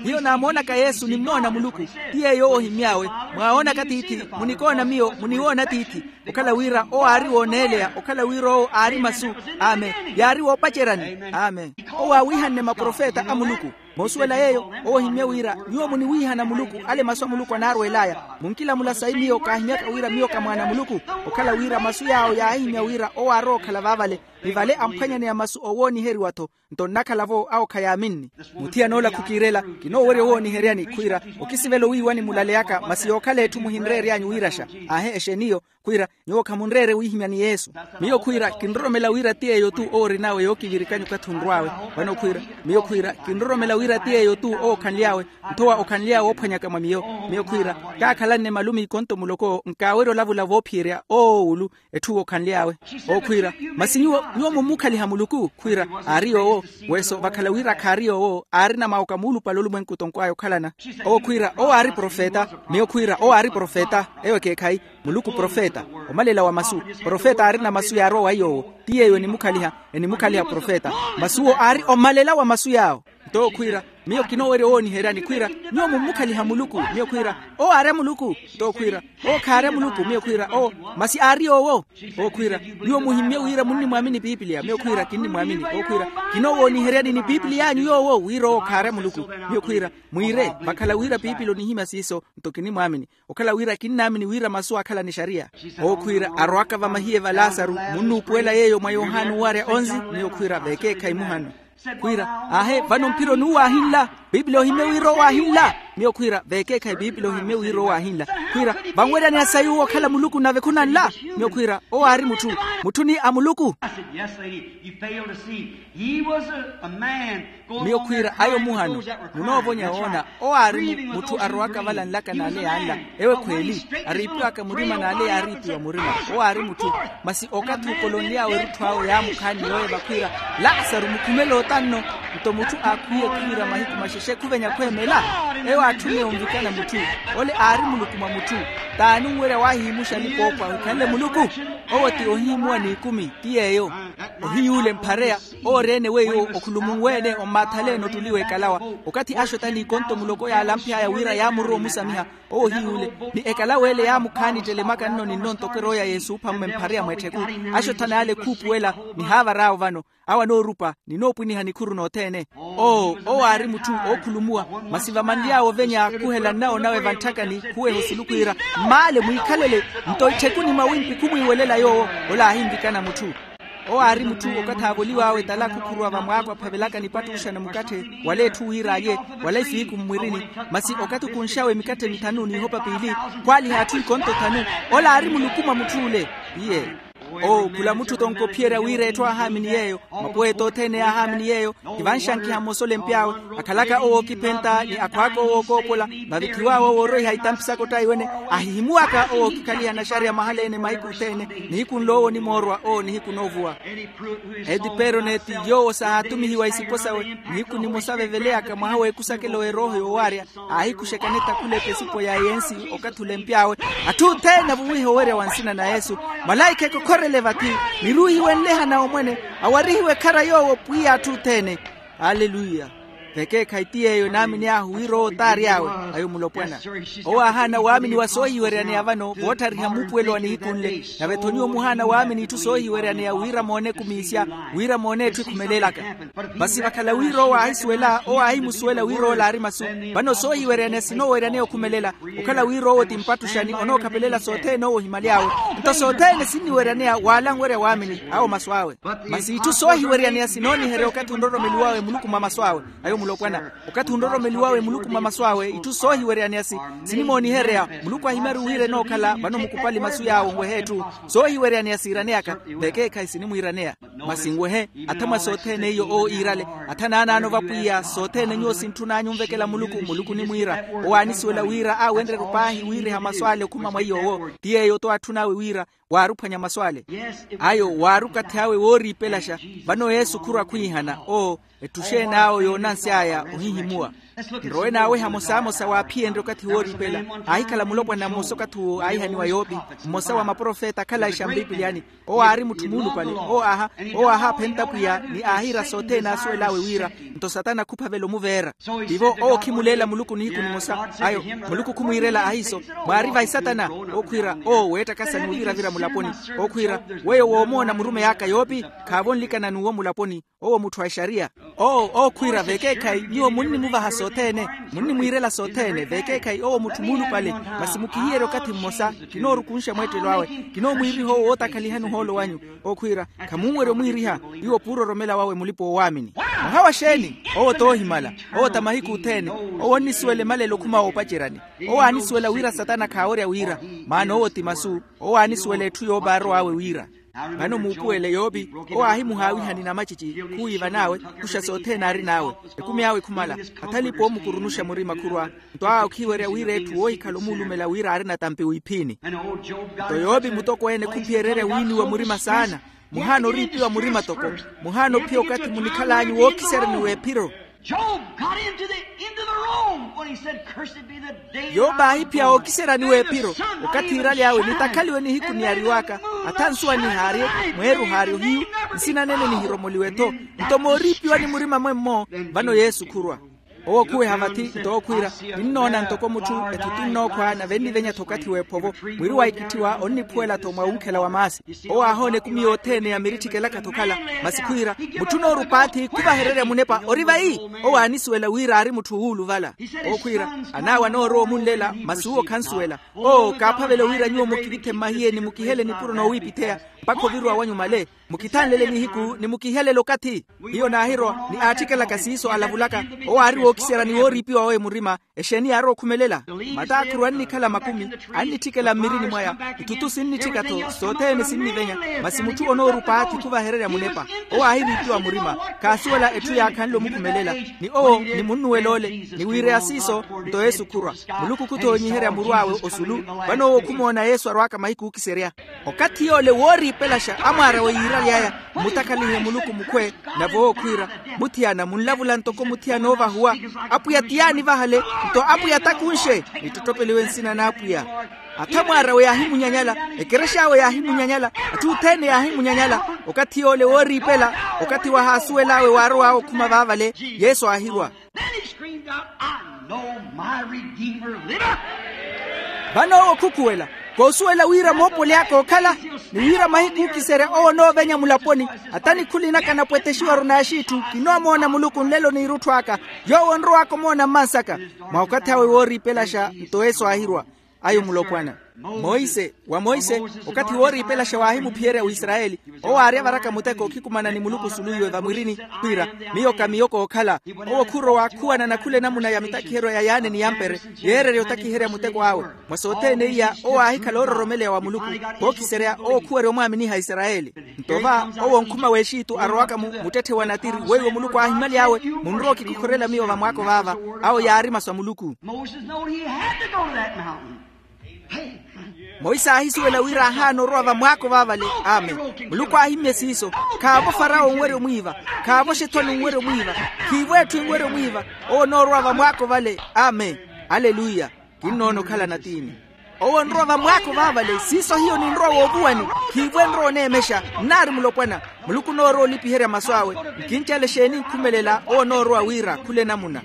Hiyo naamoonaka yesu nimmoona muluku. Ti yeeyo owo ohimmy'awe. Mwawoonaka tiithi. Munikoona miyo muniwoona tiithi. Okhala wira owo aari wooneeleya okhala wira owo aari masu. Amen. Yaari woopaceryani. Amen. Owo aawiihanne maprofeta a muluku. Moosuwela yeeyo. Owo ohimmye wira nyuwo muniwiihana muluku ale masu a muluku anaarweel'aya. Munkilamula sayi miyo kaahimyaka wira miyo ka mwaana a muluku. Okhala wira masu yaawo yaahihimya wira owo aarowa okhala vaavale. Ni vale amphwanyaneya masu oowooniheriwa-tho. Nto nnakhala-vo awo khayaaminni. Muthiyana ola khukiirela. Kinoowerya owooniheryani khwiira. Okisivela owiiwani mulaleyaka masi yookhala etthu muhinreery'anyu wiiraxa. Aahe exeeni iyo. Khwiira nyuwo khamunreere wiihimya ni yesu. Miyo khwiira kinroromela wira ti yeeyo-tu owo orinawe yookivirikanya okathi onrw'awe. Vano khwiira miyo khwiira kinroromela wira ti yeeyo-tu owo okhanly'awe. Nthowa okhanly'awe oophwanyaka mwa miyo. Miyo khwiira kaakhalanne malumiiko nto muloko nkaawerya olavula voophiyerya owo owulu. Etthu okhanly'awe. Owo khwiira masi nyuwo nyuwo mummukhaliha muluku khwiira. Aari yoowo. Weso vakhala wira khaari yoowo aarina mawoka muulupale olumwenku tonkwaaya okhalana. Owo khwiira owo aari profeta. Miyo khwiira owo aari profeta. Eyo ekeekhayi. Muluku profeta. Omalela wa masu. Profeta aarina masu yaarowa wa iy'owo. Ti yeeyo enimukhaliha. Enimukhaliha profeta. Masuwo aari omalela wa masu yaawo. Nto owo khwiira miyo kinoowerya owooniheryani khwiira nyuwo mummukhaliha muluku. Miyo khwiira owo aarya muluku. Nto owo khwiira owo khaarya muluku miyo khwiira owo masi aari yoowo. Owo khwiira nyuwo muhimmye wira munnimwaamini piipiliya miyo khwiira kinnimwaamini owo khwiira kinoowooniheryani ni piipiliy'anyu yoowo wira owo khaarya muluku. Miyo khwiira mwiire vakhala wira piipili onihimya siiso. Nto kinnimwaamini okhala wira kinnaamini wira masu aakhala ni xariya. Owo khwiira arowaka vamahiye va lasaru munnuupuwela yeeyo mwa yohani owarya onzi. Miyo khwiira veekeekhayi muhano. Khwiira aahe vano mphiro n'uwo aahinla. Piipili ohimmye wira owo aahinla. Miyo khwiira veekeekhayi piipili ohimmye wira owo aahinla. Khwiira vanweryaneya sayi owo okhala muluku nave khunanla. Miyo khwiira owo aari mutthu. Mutthu ni a muluku. Miyo khwiira ayo muhano munoovonya woona. Owo aari mutthu arowaka vala nlaka n'ale yaanla. Ewe khweeli ariipiwaka murima n'ale yaariipiwa murima. Owo aari mutthu. Masi okathi okolonly'awe erutthu awe yaamukhaani yooyo vakhwiira lasaru mukhumele otanno. Nto mutthu aakhwiye khwiira mahiku maxexe khuvenya khweemela. Ewo aatthunne onvikana mutthu. Ole aari muluku mwa mutthu. T'ani onwerya waahihimuxa alipa-ookhwa ahikhanle muluku? Owo ti ohihimuwa n'ikumi ti yeeyo. Ohiyuule mphareya. Owo ori-ene weiwo okhulumunwe-ene ommaathalene ottuli w'ekalawa. Okathi axottani ikonto muloko yaalamph'aya wira yaamurowa omusamiha. Owo ohiyuule ni ekalawa ele yaamukhaani ttelemaka nno ni nno ntoko erooya yesuupha mmwe mphareya mw'ettheku. Axottana yaale khuupuwela. Nihaavar'awo vano awo anoorupa. Ninoopwiniha nikhuru nothene. Oo owo aari mutthu ookhulumuwa. Masi vamanly'awe ovenya khuhela nnawo nawe vantthakani khuweha osulu khwiira mmaale mwiikhalele. Nto itthekuni mwawimpi khumwiiwelela yoowo. Ola aahinvikana mutthu. Owo aari mutthu okathi aavoliw'awe tala khukhuruwa vamwaako aphavelaka nipattuxa na mukatthe wala etthu wira alye wala ifiiku mmwirini. Masi okathi okunx'awe mikatthe mithanu n'ihopa piili khwaaliha atthu ikonto thanu. Ola aari muluku mwa mutth'ule. Iye. Oo khula mutthu tonkophiyerya wira etthu aahaamini yeeyo. Mapoweeta othene yaahaamini yeeyo. Kivanxankiha mmosa olempy'awe akhalaka owo ookiphenta ni akhwaaka owo ookoopola. Vavithiw'awe owo ooroiha itamphi saka ottaiwene ahihimuwaka owo ookikhaliha naxariya mahala-ene mahiku othene. Nihiku nloowo onimoorwa owo nihiku noovuwa. Etiperoneti yoowo saahatumihiwa isipo sawe nihiku nimosa aveveleyaka mwaha w'ekusakelo w'erooho yoowarya. Aahikuxekane takhulepa esipo ya yensi okathi olempy'awe atthu othene avuwihe owerya wa nsina na yesu. Malaikha ekokhorele vathi niruuhiwe nlehana omwene awarihiwe ekhara yoowo pwiya atthu othene. Aleluya. Vekeekhayi ti yeeyo enaamin'ahu wira owo t'ari awe. Ayo mulopwana. Owo aahaana waamini wa soohiweryaneya vano vootthariha muupuwelo wa nihiku nle. Nave-tho nyuwo muhaana waamini itthu soohiweryaneya wira moone ekumiisya, wira moone etthu ekhumelelaka. Masi vakhala wira owo aahisuwela owo aahimusuwela wira ola aari masu. Vano soohiweryaneya sinooweryaneya okhumelela, okhala wira owo ti mpattuxani onookhapelelela sothene owo ohimaly'awe. Nto sothene sinniweryaneya waala anwerya waamini awo masu awe. Masi itthu soohiweryaneya sinooniherya okathi onroromeliwawe muluku mwa masu awe. Ayo mulopwana. Okathi onroromeliwawe muluku mwa masu awe itthu soohiweryaneya si sinimooniherya. Muluku ahimyaru wira enookhala vano mukupali masu yaawe onweha etthu. Soohiweryaneya siiraneyaka. Vekeekhayi sinimwiiraneya. Masi nwehe. Atha mwa sothene iyo owo iirale. Atha naanaano va pwiya sothene nyuwo sintthun'anyu onvekela muluku muluku onimwiira. Owo aanisuwela wira aawenrye-ru paahi wiiriha masu ale okhuma mwa iy'owo ti yeeyo-tho aatthun'awe wira waaruphwanya masu ale. Ayo waari okathi awe wooriipelaxa. Vano yesu khurwa khwiihana oo etthu exeen'awe yoonansy'aya ohihimuwa. Nrowe naaweha mosamosa waaphiyenrye okathi wooriipela. Aahikhala mulopwana mmosa okathi uwo aahihaniwa yoopi, mmosa wa maprofeta akhalaxa mpipiliyani. Owo aari mutthu muulupale. Owo aahaaphenta pwiya ni aahiira sothene aasuwel'awe wira nto satana khuphavela omuveera. Tivo owo khimuleela muluku nihiku nimosa. Ayo muluku khumwiirela ahiiso. Mwaari vahi satana. Owo khwiira owo weettakasa n'uviravira mulaponi. Owo khwiira weyo woomoona murumeyi aka yoopi khaavo onlikana n'uwo mulaponi. Owo mutthu a exariya. Owo owo khwiira vekeekhayi nyuwo munnimuvaha sothene, munnimwiirela sothene vekeekhayi owo mutthu muulupale. Masi mukihiyerye okathi mmosa. Kinoorukunxa mweettelo awe. Kinoomwiiriha owo wootakhalihani ohoolo wanyu. Owo khwiira khamunwerya omwiiriha. Iwo puuroromela wawe mulipa-oowaamini. Mwaha wa xeeni? Owo t'ohimala. Owo ta mahiku othene. Owo onnisuwela emalelo okhuma woopaceryani. Owo aanisuwela wira satana khaawerya wira. Maana owo ti masu. Owo aanisuwela etthu yoopaarow'awe wira. Vano muupuwele yoopi. Owo aahimuhaawihani namacici khuwiivan'awe. Kuxa sothene aarin'awe. Ekumi awe khumala. Athalipa oomukurunuxa murima khurwa. Nto awe okhiwerya wira etthu woohikhala omuulumela wira aari natampi wiiphini. Nto yoopi mutokweene khuphiyererya wiiniwa murima saana. Muhaana oriipiwa murima toko. Muhaana ophiya okathi munikhal'anyu wookiseryani w'ephiro. Job got into the into the room when he said, "Cursed be the day." Yope aahiphiya wookiseryani w'ephiro. Okathi iiraly'awe nitakhaliwe nihiku niyariw'aka. Atha nsuwa nihaarye. Mweeru haarye ohiyu. Nsina nene nihiromoliwe-tho. Nto mooriipiwani murima mwemmo. Vano yesu khurwa. Owo okhuweha vathi nto okhwiira, ninnoona ntoko mutthu ethutu nnookhwa nave nnivenya-tho okathi w'ephovo. Mwiri wa ikitthiwa onniphuwela-tho mwa wunkhela wa maasi. Owo aahoona ekumi yothene ya miritthi kelaka-tho okhala. Masi khwiira, mutthu onoorupaathi khuvahererya munepa ori vayi. Owo aanisuwela wira aari mutthu wuuluvala. Owo khwiira, an'awe anoorowa omunlela masi uwo khansuwela. Oo kaaphavela wira nyuwo mukivithe mmahiye ni mukihele nipuro noowiipitheya mpakha oviruwa wanyu male. Mukithanlele nihiku ni mukihelele okathi. Hiyo naahirowa ni aatthikelaka siiso alavulaka. Owo aari wookiserya ni wooriipiwa wawe murima. Exeeni yaarowa okhumelela? Mataakhuru annikhala makumi, annitthikela mmirini mwaya. Ithutu sinnitthika-tho sothene sinnivenya. Masi mutthu onoorupa aathi khuvahererya munepa. Owo aahiriipiwa murima. Khaasuwela etthu yaakhanle omukhumelela. Ni owo ni munnuwel'ole ni wiireya siiso. Nto yesu khurwa. Muluku khuthoonyiherya muru awe osulu. Vano owo khumoona yesu arwaaka mahiku ookiserya. Okathi yoole wooriipelaxa amwaarawe yiiraly'aya. Mmutakhalihe muluku mukhwe. Nave owo khwiira, muthiyana munlavula ntoko muthiyana oovahuwa. Apwiya ti yaanivahale. Nto apwiya takunxe. Nittottopeliwe nsina n'apwiya. Atha amwaarawe yaahimunyanyala. Ekerex'awe yaahimunyanyala. Atthu othene yaahimunyanyala. Okathi yoole wooriipela. Okathi wahaasuwel'awe waarow'awe okhuma vaavale yesu aahirwa. Then he screamed out, "I know my Redeemer liveth." Vano owo khukhuwela, koosuwela wira moopoli aka ookhala, ni wira mahiku ookiserya owo onoovenya mulaponi. Ata nikhuli naka napwetexiwaru n'axiitthu kinoomoona muluku nlelo n'irutthu aka. Yoowo onrow'aka omoona mmansaka. Mwa okathi awe wooriipelaxa nto yesu aahirwa. Ayo mulopwana. Monse wa monse, okathi wooriipelaxa waahimuphiyerya wisarayeli. Owo aari avaraka muteko okhikumana ni muluku osuluwiwe vamwirini, khwiira, miyo ka miyo kookhala. Owo khurowa khuwanana khula enamuna ya mitakiheryo ya yaane ni ya mpere, yeererya otakiherya muteko awe. Mwa sothene iya owo aahikhala oororomeleya wa muluku. Kookiserya owo khuwerya omwaaminiha isarayeli. Nto va owo nkhuma w'exitu arowaka mu muttetthe wa natiri weiwo muluku aahimaly'awe, munrowa okikokhorela miyo vamwaako vaava. Awo yaari masu a muluku. Moses knowed he had to go to that mountain. Monse aahisuwela wira aahaana orowa vamwaako vaavale. Amen. Muluku aahimmye siiso. Khaavo farawo onwerya omwiiva. Khaavo xethoni onwerya omwiiva. Khiivo etthu enwerya omwiiva. Owo onoorowa vamwaako vale. Amen. Aleluya. Kinnoona okhala natiini. Owo onrowa vamwaako vaavale siiso hiyo ninrowa woovuwani. Khiivo enrowa oneemexa. Nnaari mulopwana. Muluku onoorowa olipiherya masu awe. Nkincale exeeni nkhumelela owo onoorowa wira khula enamuna.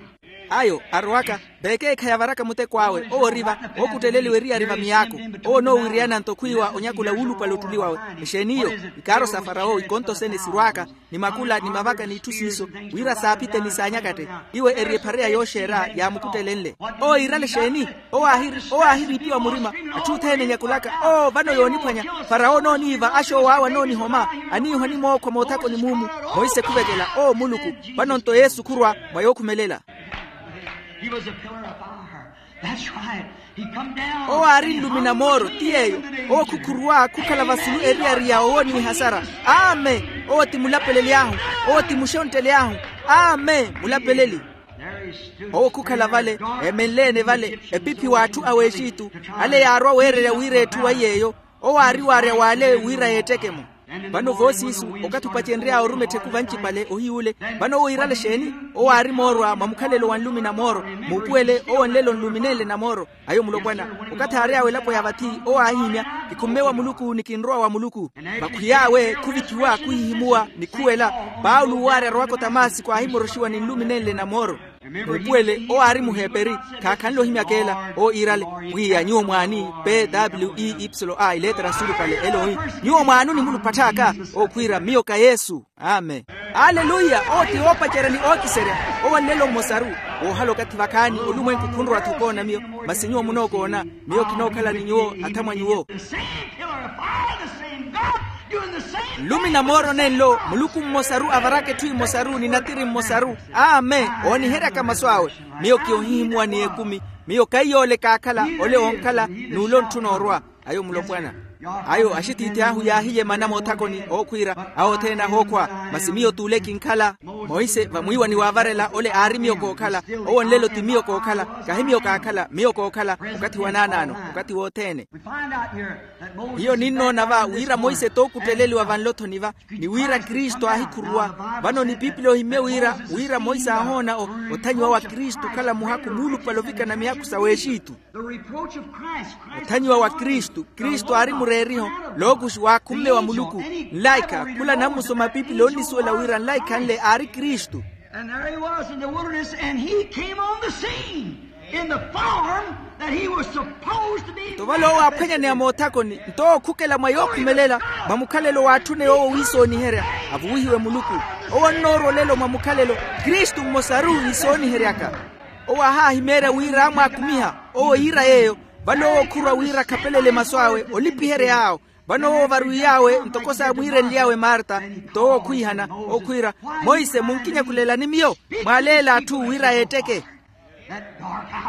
Ayo arowaka veekeekhayi avaraka muteko awe owo ori va, ookutteleliwa eriyari va miyaako. Owo onoowiriyananto khwiiwa onyakula wuulupale ottuli wawe. Exeeni iyo? Ikaaro sa farawo ikonto sene sirw'aka, ni makula ni mavaka n'itthu siiso, wira saaphite ni saanyakatte. Iwe eri ephareya yooxeera yaamukuttelenle. Owo iirale exeeni? Owo aahiriipiwa murima. Atthu othene enyakulaka, oo vano yooniphwanya. Farawo onooniiva, axoowo awe anoonihoma, aniihwa ni mookhwa moothakoni muumu. Monse khuvekela oo muluku. Vano-nto yesu khurwa mwa yookhumelela. He was a pillar of fire. That's right. He come down. Owo aari nlumi na mooro ti yeeyo. Owo khukhuruwa khukhala vasulu eriyari ya owo ni hasara. Amen. Owo ti mulapeleli ahu. Owo ti muxontteli ahu. Amen mulapeleli. Owo khukhala vale, eemenle-ene vale epiphi w'atthu a w'exitu. Ale yaarwa weererya wira etthu wa yeeyo. Owo aari waarya w'ale wira yeetteke-mo. Vano voosiisu okathi opacenry'awe oruma ettheku vancipale ohiy'ule. Vano owo iirale exeeni? Owo aari moorwa mwa mukhalelo wa nlumi na mooro. Muupuwele owo nlelo nlumi nenle na mooro. Ayo mulopwana, okathi aary'awe elapo ya vathi, owo aahihimya, kikhumme wa muluku ni kinrowa wa muluku. Vakhwiy'awe khuvithiwa khuhihimuwa ni khuwela. Paulo waarya arowaka otamasiko aahimoroxiwa ni nlumi nenle na mooro. Muupuwele owo aari muheperi. Khaakhanle ohimyaka ela owo iirale, pwiya nyuwo mwaani? P w e ipsilo a ileetera nsulupale ela owi, nyuwo mwaani onimulupatth'aka? Owo khwiira miyo ka yesu. Amen. Aleluya. Owo ti woopacerya ni ookiserya. Owo nlelo mmosaru. Woohala okathi vakhaani olumwenku khunrowa-tho okoona miyo, masi nyuwo munookoona. Miyo kinookhala ni nyuwo athamwa nyuwo. Nlumi na mooro nenlo muluku mmosaru avaraka etthu emosaru ni natiri mmosaru. Amen. Ooniheryaka masu awe. Miyo ki ohihimuwa ni ekumi. Miyo kaiyoole kaakhala ole oonkhala n'ule ontthuna orwa. Ayo mulopwana. Ayo axitiithi ahu yaahiyemana moothakoni ookhwiira awo othene ahookhwa. Masi miyo t'ule kinkhala. Monse vamwiiwani waavarela ole aari miyo kookhala. Owo nlelo ti miyo kookhala. Kahi miyo kaakhala miyo kookhala. Okathi wa naanaano. Okathi wothene. Hiyo ninnoona va wira monse t'okutteleliwa vanlothoni va, ni wira kristu aahikhuruwa. Vano ni pipili ohimmye wira wira monse aahoona othanyiwa wa kristu okhala muhakhu muulupale ovikana mihakhu sa w'exitu. Othanyiwa wa kristu kristu aari mureeriho. Lookuxi waakhumme wa muluku. Nlaikha khula anammusoma pipili onnisuwela wira nlaikha nle aari kristu. And there he was in the wilderness and he came on the scene in the form that he was supposed to be. Nto vale owo aaphwanyaneya moothakoni nto owo okhukela mwa yookhumelela, mwa mukhalelo waatthune yoowo wiisooniherya. Avuwihiwe muluku. Owo onnoorwa olelo mwa mukhalelo kristu mmosaru iisooniheryaka. Owo aahaahimeerya wira aamwaakumiha. Owo iira yeeyo. Vale owo okhurwa wira akhapelele masu awe olipihery'awo. Vano owo ovarwiy'awe ntoko saamwiirenly'awe marta. Nto owo okhwiihana okhwiira, monse munkinyakulelani miyo? Mwaaleele atthu wira yeetteke.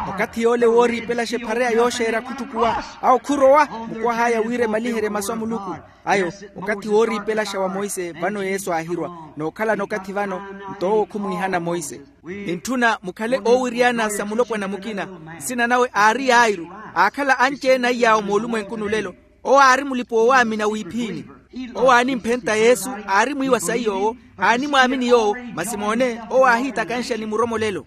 Okathi yoole wooriipelaxa ephareya yooxeera khuttukuwa. Awo khurowa mukwah'aya wira emaliherye masu a muluku. Ayo okathi wooriipelaxa wa monse vano yesu aahirwa. Nookhalana okathi vano nto owo khumwiihana monse. Nintthuna mukhale oowiriyana sa mulopwana mukina. Nsina nawe aari yairu. Aakhala anci-ene aiy'awo moolumwenkuni olelo. Owo aari mulipa-oowaamina wiiphiini. Owo aanimphenta yesu. Aari mwiiwa saiy'owo. Aanimwaamini yoowo. Masi moone owo aahiitakanxa ni muromolelo.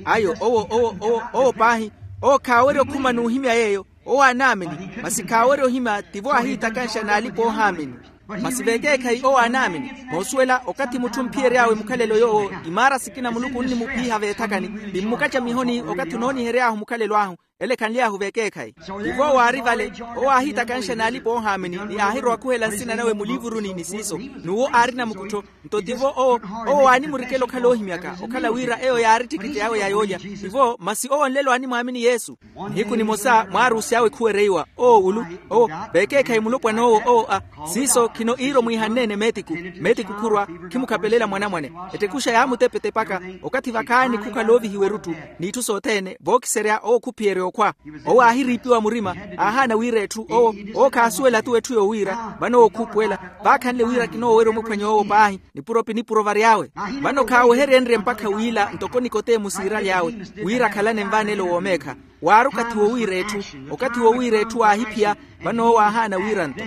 Ayo owo owo owo owo paahi. Owo khaawerya okhuma n'uhimya yeeyo. Owo aanaamini. Masi khaawerya ohimya tivo aahiitakanxa n'alipa-oohaamini. Masi vekeekhayi owo aanaamini. Moosuwela okathi mutthu omphiyery'awe mukhalelo yoowo imaara sikina muluku onnimuphiha veethakani. Ti mmukaca mihoni okathi onoonihery'ahu mukhalelo ahu. Ele khanly'ahu vekeekhayi. Tivo owo aari vale. Owo aahiitakanxa n'alipa-oohaamini ni aahirowa khuhela nsina nawe muliivuruni ni siiso. N'uwo aari namukuttho. Nto tivo owo owo waanimurikela okhala oohimyaka okhala wira eyo yaari ttikitti awe ya yoolya. Tivo masi owo nlelo aanimwaamini yesu. Nihiku nimosa mwaaruusi awe khuwereiwa owo wulu. Owo vekeekhayi mulopwan'owo owo a siiso khino iiro mwiihanneene meetiku. Meetiku khurwa khimukhapelela mwanamwane. Ettekuxa yaamutepetepaka. Okathi vakhaani khukhala oovihiwa eruttu n'itthu sothene vookiserya owo khuphiyerya okhwa. Owo aahiriipiwa murima. Aahaana wira etthu owo owo khaasuwela-tu etthu yoowiira vano owo khuupuwela. Vaakhanle wira kinoowerya omuphwany'owo paahi. Nipuro pinipuro vary'awe. Vano khaaweheryenrye mpakha wiila ntoko nikotemu siiraly'awe wira akhalane nvaanelo w'omeekha. Waari okathi wowiira etthu. Okathi wowiira etthu waahiphiya. Vano owo aahaana wiira-nto.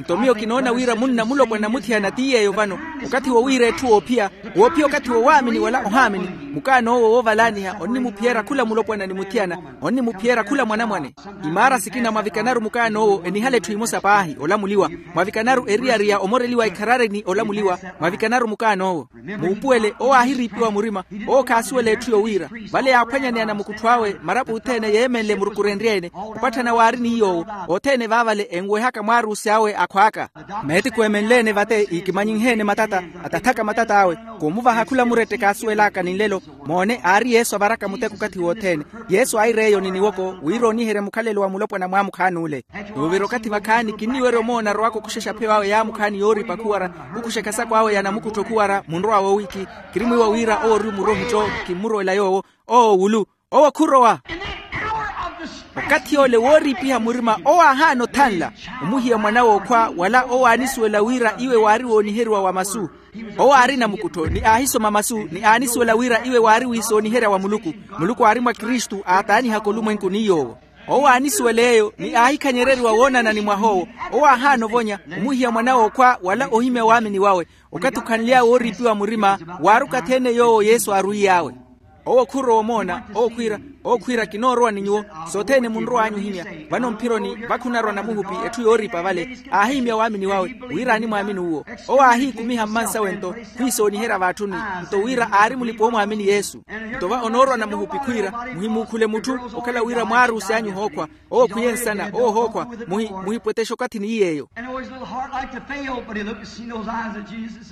Nto miyo kinoona wira munna mulopwana muthiyana ti yeeyo vano, okathi wo wiira etthu woophiya, woophiya okathi wo waamini wala ohaamini. Mukaan'owo woovalaaniha onnimuphiyerya khula mulopwana ni muthiyana, onnimuphiyerya khula mwanamwane. Imaara sikina mwavikanaru mukaan'owo enihala etthu emosa paahi olamuliwa, mwavikanaru eriyari ya omoreliwa ekharari ni olamuliwa, mwavikanaru mukaan'owo. Muupuwele owo aahiriipiwa murima, owo khaasuwela etthu yowiira. Vale yaaphwanyaneya namukuttho awe marapu othene yeemenle murukurenrye-ene, opatthana waari ni yoowo, othene vaavale enwehaka mwaaruusi awe akhwaaka. Meetiku emenle-ene vate iikimanyinhe-ene matata, atathaka matata awe, koomuvaha khula murette kaasuwel'aka ni nlelo. Moone aari yesu avaraka muteko okathi wothene. Yesu aaireeyo ni niwoko wira ooniherye mukhalelo wa mulopwana mwaamukhaani ule. Nuuvira okathi vakhaani kinniwerya omoona arowaka okuxexa apheyo awe yaamukhaani yooripa khuwara, khukuxa ekhasako awe ya namukuttho khuwara munrowa woowikhi. Kirimwiiwa wira owo ori omurohittho. Kimmurowela yoowo. Owo wulu. Owo khurowa. Okathi ole wooriipiha murima owo aahaana othanla, omuhiya mwana w'okhwa wala owo aanisuwela wira iwe waari wooniheriwa wa masu. Owo aari namukuttho ni aahisoma masu ni aanisuwela wira iwe waari wiisooniherya wa muluku. Muluku aari mwa kristu aataanihaka olumwenku ni yoowo. Owo aanisuwela eyo ni aahikhanyereriwa woonana ni mwah'owo. Owo aahaana ovonya omuhiya mwana w'okhwa wala ohimya waamini wawe. Okathi okhanly'awe wooriipiwa murima waari okathi-ene yoowo yesu aarwiy'awe. Owo khurowa omoona. Owo khwiira, owo khwiira kinoorowa ni nyuwo. Sothene munrow'anyu ohimya. Vano mphironi vakhunarowa namuhupi etthu yooriipa vale. Aahihimya waamini wawe wira animwaamini uwo. Owo aahiikumiha mmansawe nto khwiisooniherya vaatthuni, nto wira aari mulipa omwaamini yesu. Nto va onoorowa namuhupi khwiira, muhimuukhule mutthu okhala wira mwaaruusi anyu ohookhwa. Owo khwiye nsana owo ohookhwa. Muhipwetexe okathi ni yeeyo.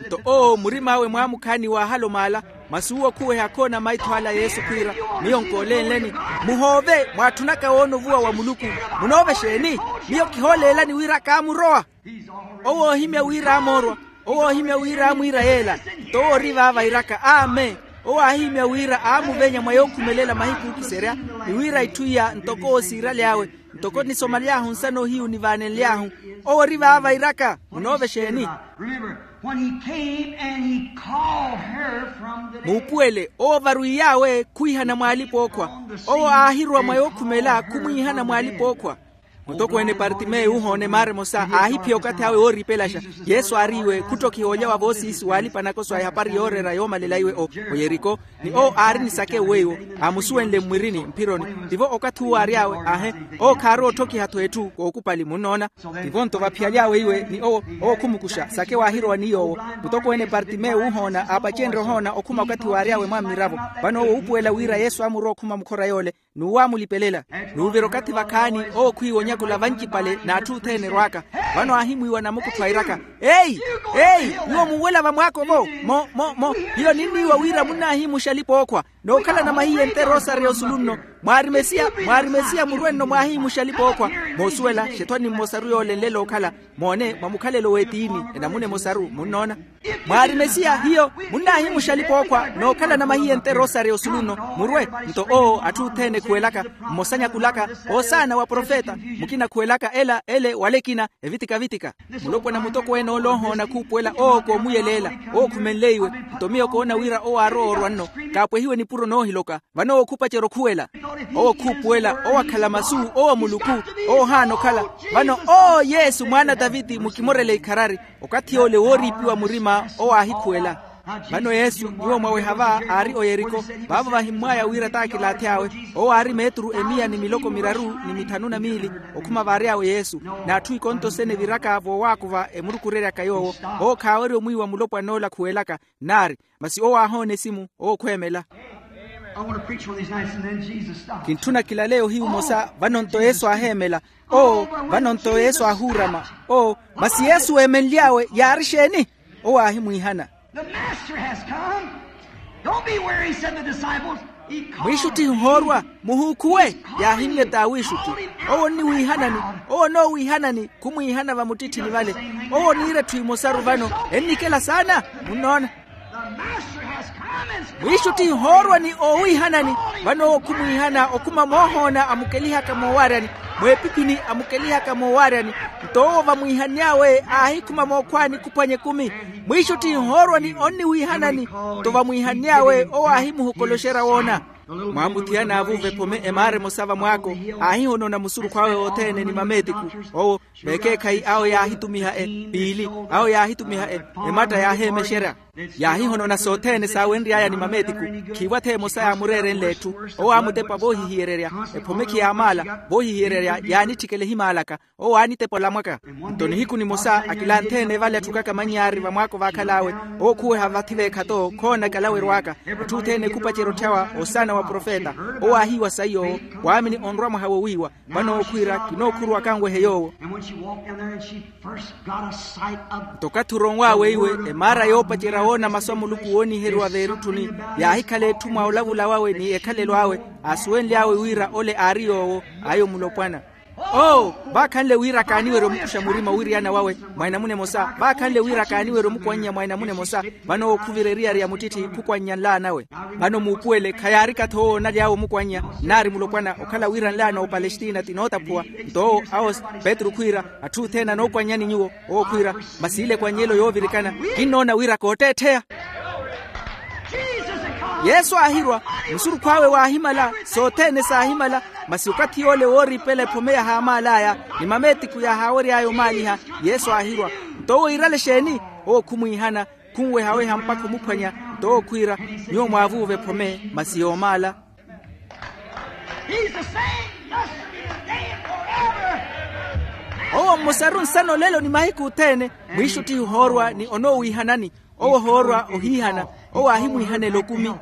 Nto owo murim'awe mwaamukhaani waahala omaala. Masi uwo khuweha akhoona maitho ala a yesu khwiira, miyo nkoolenleni. Muhoove mwaatthunaka woona ovuwa wa muluku. Munoovexa eni? Miyo kihooleelani wira kaamurowa. Owo oohimya wira aamoorwa. Owo oohimya wira aamwiira yeela. Nto owo ori vaava iiraka amen. Owo aahimya wira aamuvenya mwa yookhumelela mahiku ookiserya, ni wira itthu iya ntoko owo siiraly'awe, ntoko nisomaly'ahu nsana ohiyu nivaanenly'ahu. Owo ori vaava iiraka munoovexa eni? Remember, when he came and he called her from the dead. Muupuwele owo varwiy'awe khwiihana mw'alipa-ookhwa. Owo aahirowa mwa yookhumela khumwiihana mw'alipa-ookhwa. Mutokweene partime wuuhoona emaara emosa aahiphiya okathi awe wooriipelaxa. Yesu aariiwe khuttokhiha olya wa voosiisi w'alipa-nakoso a ehapari yooreera yoomalela iwe o yeriko. Ni owo aari ni sake weiwo, aamusuwenle mmwirini mphironi. Tivo okathi uwo aary'awe ahe. Owo khaarowa otthokiha-tho etthu kookupali munnoona. Tivo nto vaphiyaly'awe iwe ni owo, owo khumukuxa sake waahirowa ni yoowo. Mutokweene partime wuuhoona aapacenrye ohoona okhuma okathi waary'awe mwa mmiravo. Vano owo uupuwela wira yesu aamurowa okhuma mukhora yoole, n'uwo aamulipelela. N'uvira okathi vakhaani owo khwiiwa onyakula vancipale n'atthu othene erwaaka. Vano aahimwiiwa namukuttho airaka, eyi, eyi, nyuwo munwela vamwaako vo? Mo mo mo, hiyo ninniiwa wira munnaahimuxa alipa-ookhwa, nookhalana mahiye nte rosario osulu nno. Mwaari mesiya, mwaari mesiya murwe nno mwaahimuxa alipa-ookhwa. Moosuwela xetthwani mmosaru yoole enlela okhala. Moone mwa mukhalelo w'etiini, enamuna emosaru munnoona. Mwaari mesiya hiyo munnaahimuxa alipa-ookhwa nookhalana mahiye nte rosario osulu nno. Murwe. Nto owo atthu othene khuwelaka, mmosa nyakulaka, oosaana wa profeta, mukina khuwelaka ela ele wala ekina, evitika-vitika. Mulopwana mutokweene ole ohoona khuupuwela owo koomuyeleela. Owo khumenle iwe. Nto miyo koona wira owo aarowa orwa nno, kaapwehiwe nipuro noohiloka. Vano owo khupacerya okhuwela. Owo khuupuwela owo akhala masu, owo muluku, owo ohaana okhala. Vano oo yesu mwaana a taviti mukimorele ikharari. Okathi yoole wooriipiwa murima owo aahikhuwela. Vano yesu nyuwo mwaweha va aari oyeriko. Vaavo vahimmwaya wira t'akilaathi awe. Owo aari meeturu emiya ni miloko miraru ni mithanu na miili, okhuma vaary'awe yesu. N'atthu ikonto sene viiraka voowaakuva emurukureryaka yoowo. Owo khaawerya omwiiwa mulopwan'ola khuwelaka. Naari, masi owo aahoona esimu owo khweemela. Kintthuna kilaleya ohiyu omosa. Vano nto yesu aaheemela. Oo, vano nto yesu aahuurama. Oo, masi yesu weemenly'awe yaari exeeni? Owo aahimwiihana. The master has come. Don't be weary, said the disciples. Mwiixuttihi ohoorwa. Muhuukhuwe. Yaahimmye t'awiixutti. Owo onniwiihanani. Owo onoowiihanani. Khumwiihana vamuttitthini vale. Owo oniira etthu emosaru vano. Ennikela saana. Munnoona? Mwiixuttihi ohoorwa ni oowiihanani. Vano owo khumwiihana okhuma moohoona amukelihaka moowaaryani, mweepiphini amukelihaka moowaaryani. Nto owo vamwiihanny'awe aahikhuma mookhwaani khuphwanya ekumi. Mwiixuttihi ohoorwa ni onniwiihanani. Nto vamwiihanny'awe owo aahimuhokoloxerya woona. Mwaamuthiyana avuuva ephome emaara emosa vamwaako, aahihonona musurukhu awe othene ni mameetiku. Owo vekeekhayi awo yaahitumiha e piili, awo yaahitumiha e ematta yaaheemexerya. Yaahihonona sothene saawenry'aya ni mameetiku. Khiiwa-tho emosa yaamureerenle etthu. Owo aamutepa voohihiyererya, ephome khiyaamaala voohihiyererya, yaanitthikela ehimaalaka. Owo aanitepa olamwaka. Nto nihiku nimosa akilantheene vale atthukaka mannyaari vamwaako vaakhal'awe, owo khuweha vathi veekhato khoona kalawerw'aka. Atthu othene khupacerya otthyawa osaana wa profeta. Owo aahiiwa saiy'owo, waamini onrwa mwaha wowiiwa. Vano owo khwiira, kinookhurwa kanwehe yoowo. Nto okathi oronw'awe iwe, emaara yoopacerya woona masu a muluku wooniheriwa veerutthuni, yaahikhala etthu mwa olavula wawe ni ekhalelo awe, aasuwenly'awe wira ole aari yoowo. Ayo mulopwana. Oo, vaakhanle wira kaaniwerye omukuxa murima owiriyana wawe mwa enamuna emosa, vaakhanle wira kaaniwerye omukwannya mwa enamuna emosa. Vano owo khuvira eriyari ya muttitti khukwannya nlaanawe. Vano muupuwele khayaarika-tho owo onaly'awe omukwannya, nnaari mulopwana okhala wira nlaana wa opalestina tinootaphuwa. Nto owo awo petru khwiira, atthu othene anookwannyani nyuwo. Owo khwiira, masi ile ekwannyelo yoovirikana, kinnoona wira kootteettheya. Yesu aahirwa, musurukhu awe waahimala, sothene saahimala. Masi okathi yoole wooriipela ephome yahaamaal'aya, ni mameetiku yahaawery'aya omaaliha. Yesu aahirwa. Nto owo iirale exeeni? Owo khumwiihana, khunwehaweha mpakha omuphwanya. Nto owo khwiira, nyuwo mwaavuuva ephome masi yoomaala. Owo mmosaru nsana olelo ni mahiku othene. Mwiixuttihi ohoorwa ni onoowiihanani. Owo ohoorwa ohiihana. Owo aahimwiihanela okumi.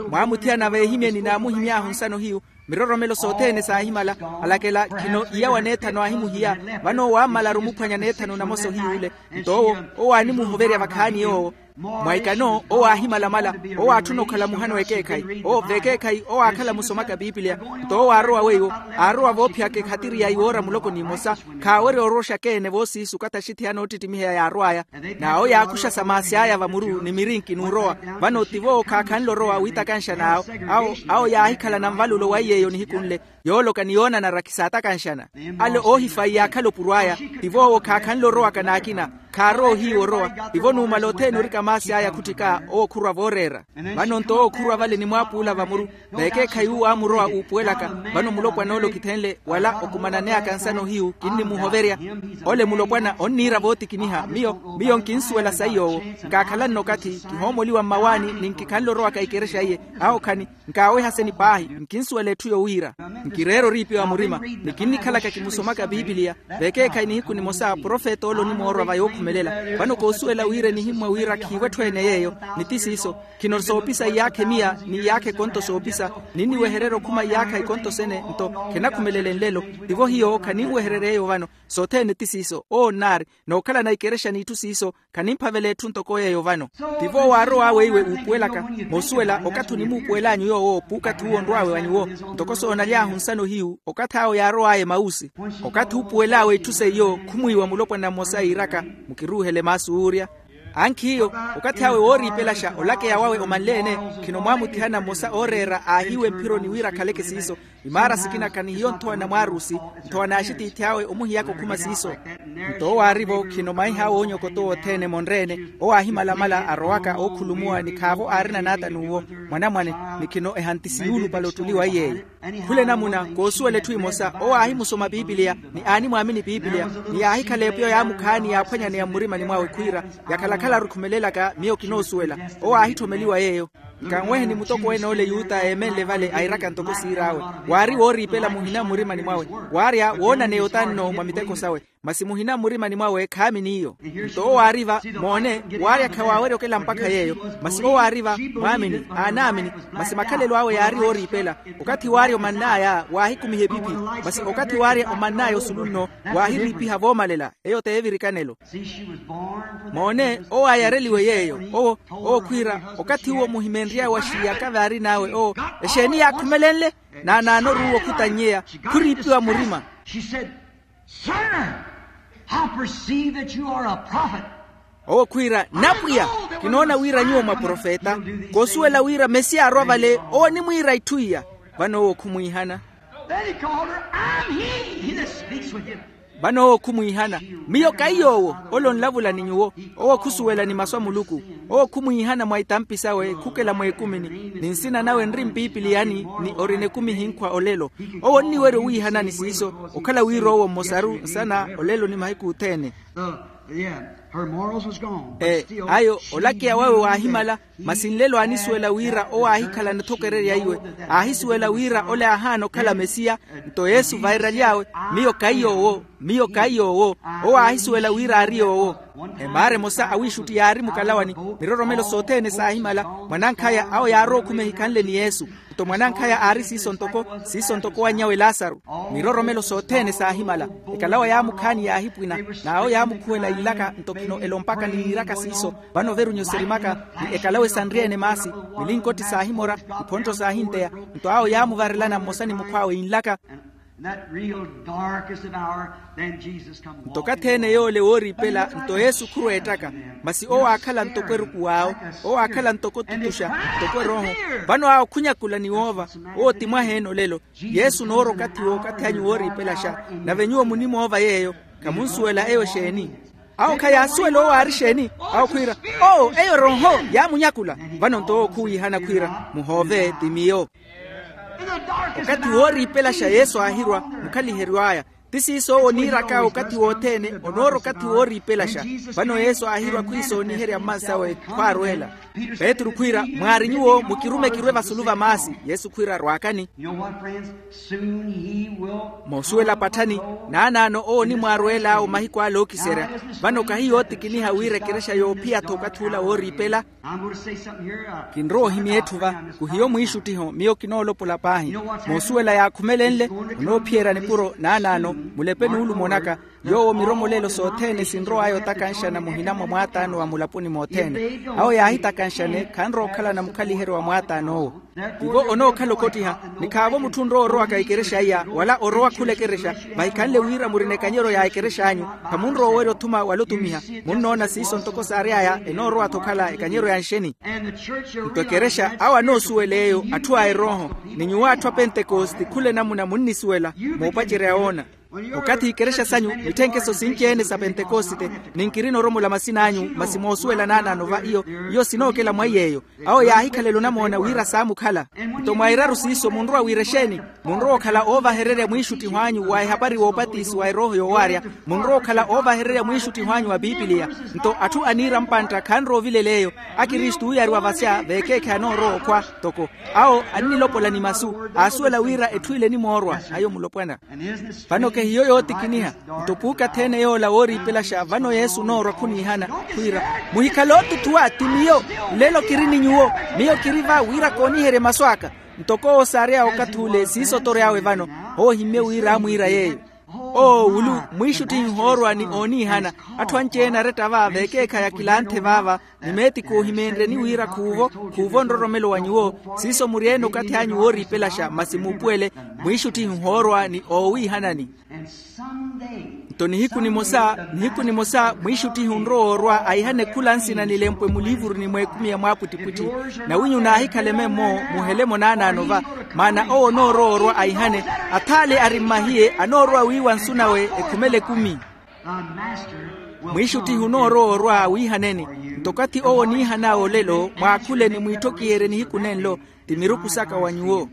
Mwaamuthiyana veehimyeni naamuhimy'ahu nsano hiyu. Miroromelo sothene saahimala. Alakela khino iya wa neethano aahimuhiya. Vano owo aammalaru omuphwanya neethano namosa ohiy'ule. Nto owo, owo aanimuhoverya vakhaani yoowo. Mwa ikano owo aahimalamala. Owo aatthuna okhala muhana w'ekeekhayi. Owo v'ekeekhayi owo aakhala musomaka piipiliya. Nto owo aarowa weiwo, aarowa voophiyaka ekhatiri ya iwoora muloko n'imosa. Khaawerya orowa oxakeene voosiisu okathi axithiya noottittimiheya yaarw'aya. N'awo yaakuxa sa maasi aya vamuru ni mirinki n'urowa. Vano tivo owo khaakhanle orowa wiitakanxa n'awo. Awo awo yaahikhalana nvalulo wa iy'eyo nihiku nle, yooloka ni yoonanara khisaatakanxana. Ale oohifayi yaakhala opuro aya. Tivo owo khaakhanle orowaka n'akina. Khaarowa ohiiwa orowa. Tivo numala othene orika maasi aya khuttika owo khurwa vooreera. Vano nto owo khurwa vale ni mwaapuula vamuru. V'ekeekhayi uwo aamurowa uupuwelaka. Vano mulopwana ole okithenle wala okumananeyaka nsana ohiyu kinnimuhoverya. Ole mulopwana onniira vootikiniha miyo. Miyo nkinsuwela sayi yoowo. Nkaakhalanne okathi kihoomoliwa mmawaani ni nkikhanle orowaka ikerexa iye. Awo khani. Nkaaweha seni paahi. Nkinsuwela etthu yowiira. Nkireera oriipiwa murima. Ni kinnikhalaka kimusomaka piipiliya. V'ekeekhayi nihiku nimosa profeta ole onimoorwa va yookhumelela. Vano koosuwela wira enihimmwa wira khiivo etthu ene yeeyo. Ni ti siiso. Khino soopisa iyaakha emiya ni iyaakha ekonto soopisa. Ninniwehererya okhuma iyaakha ekonto sene nto khenakhumelela enlelo. Tivo hiyo khaninwehererya eyo vano. Sothene ti siiso owo nnaari. Nookhalana ikerexa n'itthu siiso. Khanimphavela etthu ntoko yeeyo vano. Tivo owo aarow'awe iwe uupuwelaka. Moosuwela okathi onimuupuwel'anyu yoowo puukathi uwo onrw'awe wa nyuwo. Ntoko soonaly'ahu nsana ohiyu okathi awo yaarow'aya emausi. Okathi uupuwel'awe itthu seiyo khumwiiwa mulopwana mmosa iiraka, mukiruuhele maasu wuurya. Ankhi hiyo, okathi awe wooriipelaxa olakeya wawe omanle-ene. Khino mwaamuthihana mmosa ooreera aahiiwa emphironi wira akhaleke siiso. Imaara sikina khanihiyo nthowa na mwaarusi, nthowa n'axitiithi awe omuhiyaka okhuma siiso. Nto owo aari-vo khino maiha awe oonyokota owo othene emonre-ene. Owo aahimalamala arowaka ookhulumuwa ni khaavo aarina naata n'uwo mwanamwane. Ni khino ehantisi yuulupale ottuli wa iy'eyo. Khula enamuna koosuwela etthu emosa owo aahimusoma piipiliya. Ni aanimwaamini piipiliya. Ni yaahikhala epiyo yaamukhaani yaaphwanyaneya mmurimani mwawe khwiira, yakhala-khala arukhumelelaka miyo kinoosuwela. Owo aahitthomeliwa yeeyo. Nkanweheni mutokwene ole yuta eemenle vale airaka ntoko siir'awe. Waari wooriipela muhina mmurimani mwawe. Waarya woonaneya otanno mwa miteko sawe. Masi muhina mmurimani mwawe khaamini iyo. Nto owo aari-va, moone, waarya khawaawerya okela mpakha yeeyo. Masi owo aari-va mwaamini, aanaamini. Masi makhalelo awe yaari ooriipela. Okathi waarya omann'aya waahikumiha epipi. Masi okathi waarya omann'aya osulu nno, waahiriipiha voomalela. Eyo t'evirikanelo. Moone, owo aayareliwe yeeyo. Owo, owo khwiira, okathi uwo muhimenry'awe wa xiyaka vaarin'awe owo, exeeni yaakhumelenle? Naanaanoru uwo khutannyeya, khuriipiwa murima. She said, sir, I perceive that you are a prophet. Owo khwiira, napwiya, kinoona wira nyuwo mwa profeta. Koosuwela wira mesiya arwa vale owo onimwiira itthu iya. Vano owo khumwiihana. Then he called her, I'm he that speaks with you. Vano owo khumwiihana, miyo kaiy'owo. Ole onlavula ni nyuwo. Owo khusuwela ni masu a muluku. Owo khumwiihana mwa itampi sawe khukela mweekumini, ni nsina nawe nri mpipiliyani, ni orina ekumi ehinkhwa olelo. Owo onniwerya owiihanani siiso, okhala wira owo mmosaru nsana olelo ni mahiku othene. Ayo olakeya wawe waahimala. Masi nlelo aanisuwela wira owo aahikhala nithokererya iwe. Aahisuwela wira ole aahaana okhala mesiya. Nto yesu vairaly'awe, miyo kaiy'owo. Miyo kaiy'owo. Owo aahisuwela wira aari yoowo. Emaara emosa awiixutti yaari mukalawani. Miroromelo sothene saahimala. Mwanankhaya awo yaarowa okhuma ehikhanle ni yesu. Nto mwanankhaya aari siiso ntoko siiso ntoko owanny'awe lasaru. Miroromelo sothene saahimala. Ekalawa yaamukhaani yaahipwina, n'awo yaamukhuwela inlaka nto khino elompaka ni yiiraka siiso. Vano ovirunyu sirimaka, ni ekalawa esanrye-ene maasi. Milinkotti saahimora, iphonttho saahinteya. Nto awo yaamuvarelana mmosa ni mukhw'awe inlaka. Nto okathi ene yoole wooriipela nto yesu khurweettaka. Masi owo aakhala ntoko eruku w'awo. Owo aakhala ntoko otutuxa, ntoko erooho. Vano awo khunyakula ni woova. Owo ti mwaha-ene olelo. Yesu onoorwa okathi w'okathi anyu wooriipelaxa. Nave nyuwo munimoova yeeyo. Khamunsuwela eyo exeeni? Awo khayaasuwela owo aari exeeni. Awo khwiira, owo eyo erooho yaamunyakula. Vano nto owo khuwiihana khwiira, muhoove ti miyo. Okathi wooriipelaxa yesu aahirwa mukhaliheryo aya. Ti siiso owo oniiraka okathi wothene. Onoorwa okathi wooriipelaxa. Vano yesu aahirwa khwiisooniherya mmansawe khwaarweela. Petru khwiira, mwaari nyuwo mukirume kirwe vasulu va maasi. Yesu khwiira rwaakani. Moosuwela patthani, naanaano owo onimwaarweel'awe mahiku ale ookiserya. Vano kahi yootikiniha wira ekerexa yoophiya-tho okathi ula wooriipela. Kinrowa ohimya etthu va. Kuhiyo mwiixuttiho miyo kinoolopola paahi. Moosuwela yaakhumelenle, onoophiyerya nipuro naanaano. Mulepe nuulumo naka, yoowo miromolelo sothene sinrow'aya otakanxana muhina mwa mwaataano wa mulaponi mothene. Awo yaahitakanxane khanrowa okhalana mukhaliheryo wa mwaataan'owo. Tivo onookhala okottiha. Ni khaavo mutthu onrowa orowaka ekerexa iya wala orowa khula ekerexa. Vahikhanle wira murina ekanyeryo ya ekerex'anyu, khamunrowa owerya othuma wala otumiha. Munnoona siiso ntoko saary'aya enoorowa-tho okhala ekanyeryo ya nxeni. Nto ekerexa awo anoosuwela eyo atthu a erooho, ni nyuwo atthu a pentekoste khula enamuna munnisuwela. Moopacerya woona, okathi ikerexa sanyu mitthenkeso sinci-ene sa pentekoste, ni nkirina oromola masin'anyu masi moosuwela naanaano va iyo. Iyo sinookela mwa iy'eyo. Awo yaahikhalela onamoona wira saamukhala. Nto mwairaru siiso munrowa wira exeeni? Munrowa okhala oovahererya mwiixuttiho anyu wa ehapari woopatisiwa erooho yoowaarya. Munrowa okhala oovahererya mwiixuttiho anyu wa pipiliya. Nto atthu aniira mpantta khanrowa ovilela eyo. Akristu ooyariwa vasya veekeekhayi anoorowa okhwa. Toko awo annilopola ni masu, aasuwela wira etthu ile enimoorwa. Ayo mulopwana. Vano kehiyo yootikiniha. Nto puukathi-ene yoola wooriipelaxa vano yesu onoorwa khuniihana, khwiira, muhikhale ootuthuwa ti miyo. Nlelo kiri ni nyuwo. Miyo kiri va wira kooniherye masu aka. Ntoko owo saary'awe okathi ule siiso otory'awe vano. Owo ohimmye wira aamwiira yeeyo. Owo wulu, mwiixuttihi ohoorwa ni ooniihana. Atthu anci-ene aretta va veekeekhayi akilanthe vaava, ni meeti koohimeenryeni wira khuuvo, khuuvo nroromelo wa nyuwo. Siiso muri-ene okathi anyu wooriipelaxa masi muupuwele. Mwiixuttihi ohoorwa ni oowiihanani. Nto nihiku nimosa nihiku nimosa mwiixuttihi onrowa orwa aihane khula nsina nilempwe muliivuruni mw'ekumi ya mwaapwittipwitthi. Nawinyu naahikhala ememmo muhelemo naanaano va. Maana owo onoorowa orwa aihane, athaale ari mmahiye anoorowa wiiwa nsu nawe ekhumela ekumi. Mwiixuttihi onoorowa orwa awiihaneni. Nto okathi owo oniihan'awe olelo mwaakhule ni mwiitthokiherye nihiku nenlo, ti miruku saka wa nyuwo.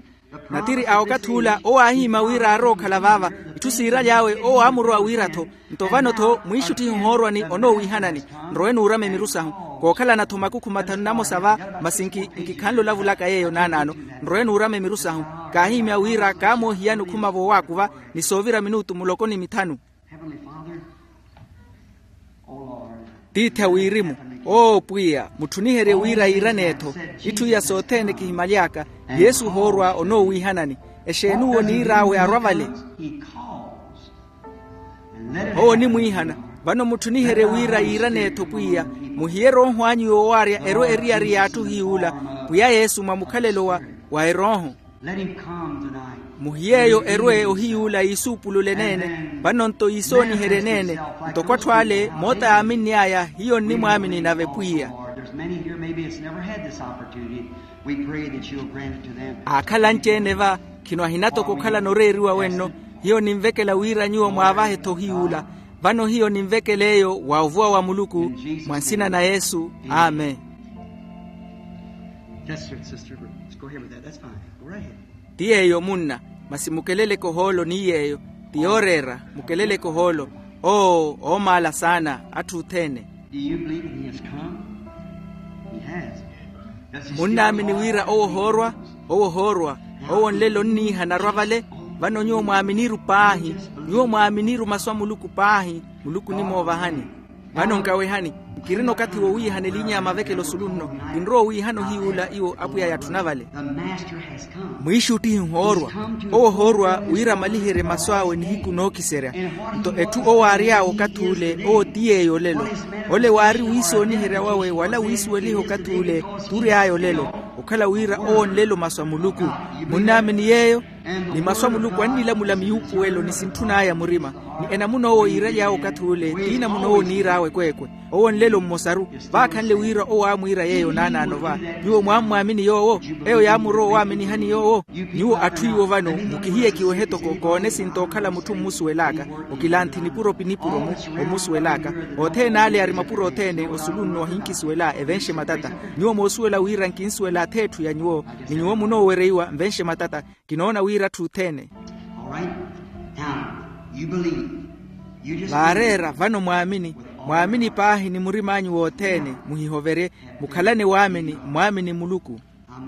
Natiri a okathi ula owo aahiima wira aarowa okhala vaava. Itthu siiraly'awe owo aamurowa wira-tho. Nto vano-tho mwiixuttihi ohoorwani onoowiihanani. Nrowe nuurame miru sahu. Kookhalana-tho makukhu mathanu namosa va. Masi nkikhanle olavulaka yeeyo naanaano. Nrowe nuurame miru sahu. Kaahiimya wira kaamoohiyani okhuma voowaakuva ni soovira minutu muloko ni mithanu. Tiithi a wirimu, oo pwiya, mutthuniherye wira yiiraneetho. Itthu iya sothene kihimaly'aka. Yesu ohoorwa onoowiihanani. Exeeni uwo oniir'awe arwa vale? Owo onimwiihana. Vano mutthuniherye wira yiiraneetho pwiya. Muhiye erooho anyu yoowaarya erwe eriyari y'atthu hiy'ula. Pwiya yesu mwa mukhalelo wa erooho. Muhiy'eyo erwe ohiy'ula yiisuupulule eneene. Vano-nto yiisooniherye eneene. Ntoko atthu ale moota yaaminny'aya hiyo nnimwaamini nave pwiya. Aakhala anci-ene va. Khino ahina toko okhalana oreeriwa wenno. Hiyo ninvekela wira nyuwo mwaavahe-tho ohiy'ula. Vano hiyo ninvekela eyo wa ovuwa wa muluku, mwa nsina na yesu. Amen. Ti yeeyo munna. Masi mukeleleke ohoolo ni yeeyo. Ti yooreera. Mukeleleke ohoolo. Oo oomaala saana atthu othene. Munnaamini wira owo ohoorwa? Owo ohoorwa. Owo nlelo onniiha anarwa vale. Vano nyuwo mwaaminiru paahi. Nyuwo mwaaminiru masu a muluku paahi. Muluku onimoovahani. Vano nkawehani. Nkirina okathi wowiihana elinya ya mavekelo osulu nno. Kinrowa owiihana ohiy'ula iwo apwiya yatthuna vale. Mwiixuttihi ohoorwa. Owo ohoorwa wira amaliherye masu awe nihiku nookiserya. Nto etthu owo aary'awe okathi ule owo ti yeeyo olelo. Ole waari wiisooniherya wawe wala wiisuweliha okathi ule. Tury'aya olelo. Okhala wira owo nlelo masu a muluku. Munnaamini yeeyo? Ni masu a muluku annilamula miyuupuwelo ni sintthun'aya murima. Ni enamuna owo yiiraly'awe okathi ule ti enamuna owo oniir'awe ekweekwe. Owo nlelo mmosaru. Vaakhanle wira owo aamwiira yeeyo naanaano va. Nyuwo mwammwaamini yoowo? Eyo yaamurowa owaaminihani yoowo. Nyuwo atthu iwo vano mukihiyekiwehe toko koone esinta okhala mutthu mmusuwel'aka. Okilanthi nipuro pi nipuro-mu. Ommusuwel'aka. Othene ale ari mapuro othene osulu nno ahinkisuwela evenxe matata. Nyuwo moosuwela wira nkinsuwela ath'etthu ya nyuwo. Ni nyuwo munoowereiwa nvenxe matata. Kinoona wira atthu othene. Vaareera vano mwaamini. Mwaamini paahi ni murim'anyu wothene. Muhihoverye. Mukhalane waamini. Mwaamini muluku.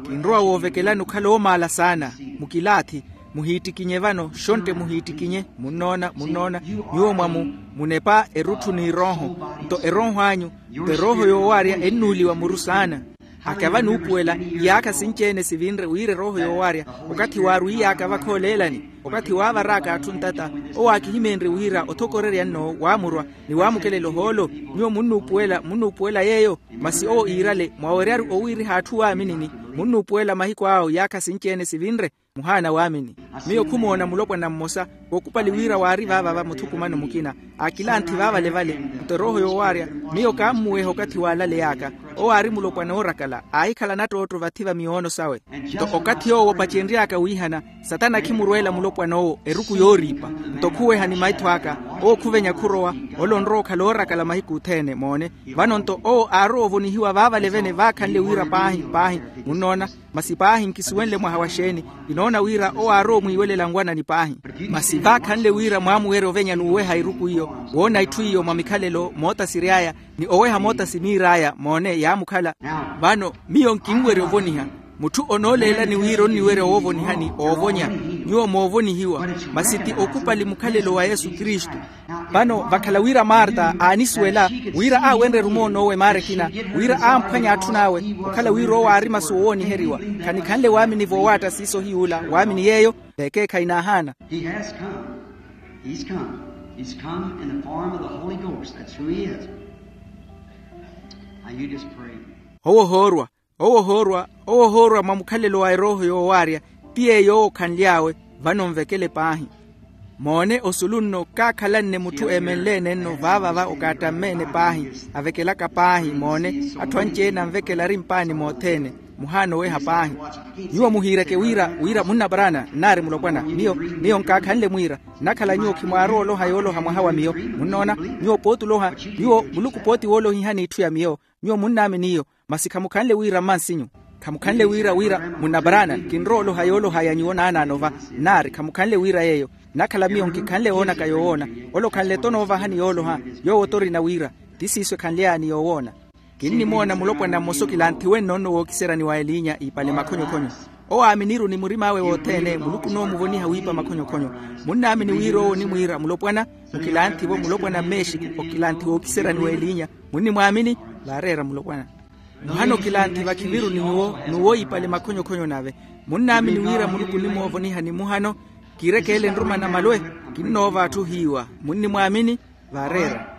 Kinrowa woovekelani okhala oomaala saana. Mukilaathi. Muhiittikinye vano shontte muhiittikinye. Munnoona munnoona. Nyuwo mwamu munepa erutthu n'erooho. Nto erooho anyu nto erooho yoowaarya ennuuliwa muru saana. Akava nuupuwela. Iyaakha sinci-ene sivinre wira erooho yoowaarya okathi waarwiiy'aka vakha oleelani. Okathi waavaraaka atthu ntata owo aakihimeenrye wira othokorerya nno waamurwa ni waamukelela ohoolo. Nyuwo munnuupuwela munnuupuwela yeeyo. Masi owo iirale mwaweryaru owiiriha atthu waaminini. Munnuupuwela mahiku awo iyaakha sinci-ene sivinre. Muhaana waamini. Miyo khumoona mulopwana mmosa. Kookupali wira waari vaavava muthukumano mukina aakilanthi vaavalevale. Nto erooho yoowaarya miyo kaammuweha okathi waalaley'aka. Owo aari mulopwana oorakala aahikhala nattootto vathi va miyoono sawe. Nto okathi yoowo opacenry'aka wiihana satana khimurweela mulopwana owo eruku yooriipa. Nto khuweha ni maitho aka owo khuvenya khurowa. Ole onrowa okhala oorakala mahiku othene moone. Vano nto owo aarowa ovonihiwa vaavalevene vaakhanle wira paahi paahi. Munnoona. Masi paahi nkisuwenle mwaha wa xeeni. Kinoona wira owo aarowa omwiiwelela nwanani paahi. Masi vaakhanle wira mwaamuwerya ovenya n'uweha eruku iyo woona itthu iyo mwa mikhalelo moota siry'aya ni oweha moota siniir'aya moone yaamukhala. Vano miyo nkinwerya ovoniha. Mutthu onooleelani wira onniwerya woovonihani oovonya. Nyuwo moovonihiwa. Masi ti okupali mukhalelo wa yesu kristu. Vano vakhala wira marta aanisuwela wira aawenrye-ru moon'owo emaara ekina wira aamphwanya atthun'awe okhala wira owo aari masu owooniheriwa. Khanikhanle waamini voowaatta siiso hiy'ula waamini yeeyo. Vekeekhayi naahaana. He has come. He's come. He's come in the form of the holy ghost that's who he is. Now you just pray. Owo ohoorwa. Owo ohoorwa owo ohoorwa mwa mukhalelo wa erooho yoowaarya. Ti yeeyo owo okhanly'awe. Vano nvekele paahi. Moone osulu nno kaakhalanne mutthu eemenle-ene nno vaavava okaattamme-ene paahi. Avekelaka paahi moone. Atthu anci-ene anvekela ari mpaani mothene. Muhaana oweha paahi. Nyuwo muhiireke wira wira munnaparana nnaari mulopwana miyo. Miyo nkaakhanle mwiira nnakhala nyuwo khimwaarowa oloha yooloha mwaha wa miyo. Munnoona? Nyuwo pooti oloha nyuwo muluku pooti woolohihani itthu ya miyo. Nyuwo munnaamini iyo. Masi khamukhanle wira mmansinyu. Khamukhanle wira wira munnaparana kinrowa oloha yooloha ya nyuwo naanaano va. Nnaari khamukhanle wira yeeyo. Nnakhala miyo nkikhanle woonaka yoowoona. Ole okhanle-tho noovahani yooloha. Yoowo-tho orina wira ti siiso ekhanly'aya ni yoowoona. Kinnimoona mulopwana mmosa okilanthiwe nnono wookiseryani wa eliinya iipale makhonyokhonyo. Owo aaminiru ni murim'awe wothene muluku onoomuvoniha wiipa makhonyokhonyo. Munnaamini wira owo onimwiira mulopwana. Mukilanthivo mulopwana mmeexiku okilanthi wookiseryani wa eliinya. Munnimwaamini? Vaareera mulopwana. Muhano kilanthi vakhiviru ni nyuwo n'uwo iipale makhonyokhonyo nave. Munnaamini wira muluku onimoovonihani muhano. Kiirekeele nruma na malwe. Kinnoova atthu hiiwa. Munnimwaamini? Vaareera.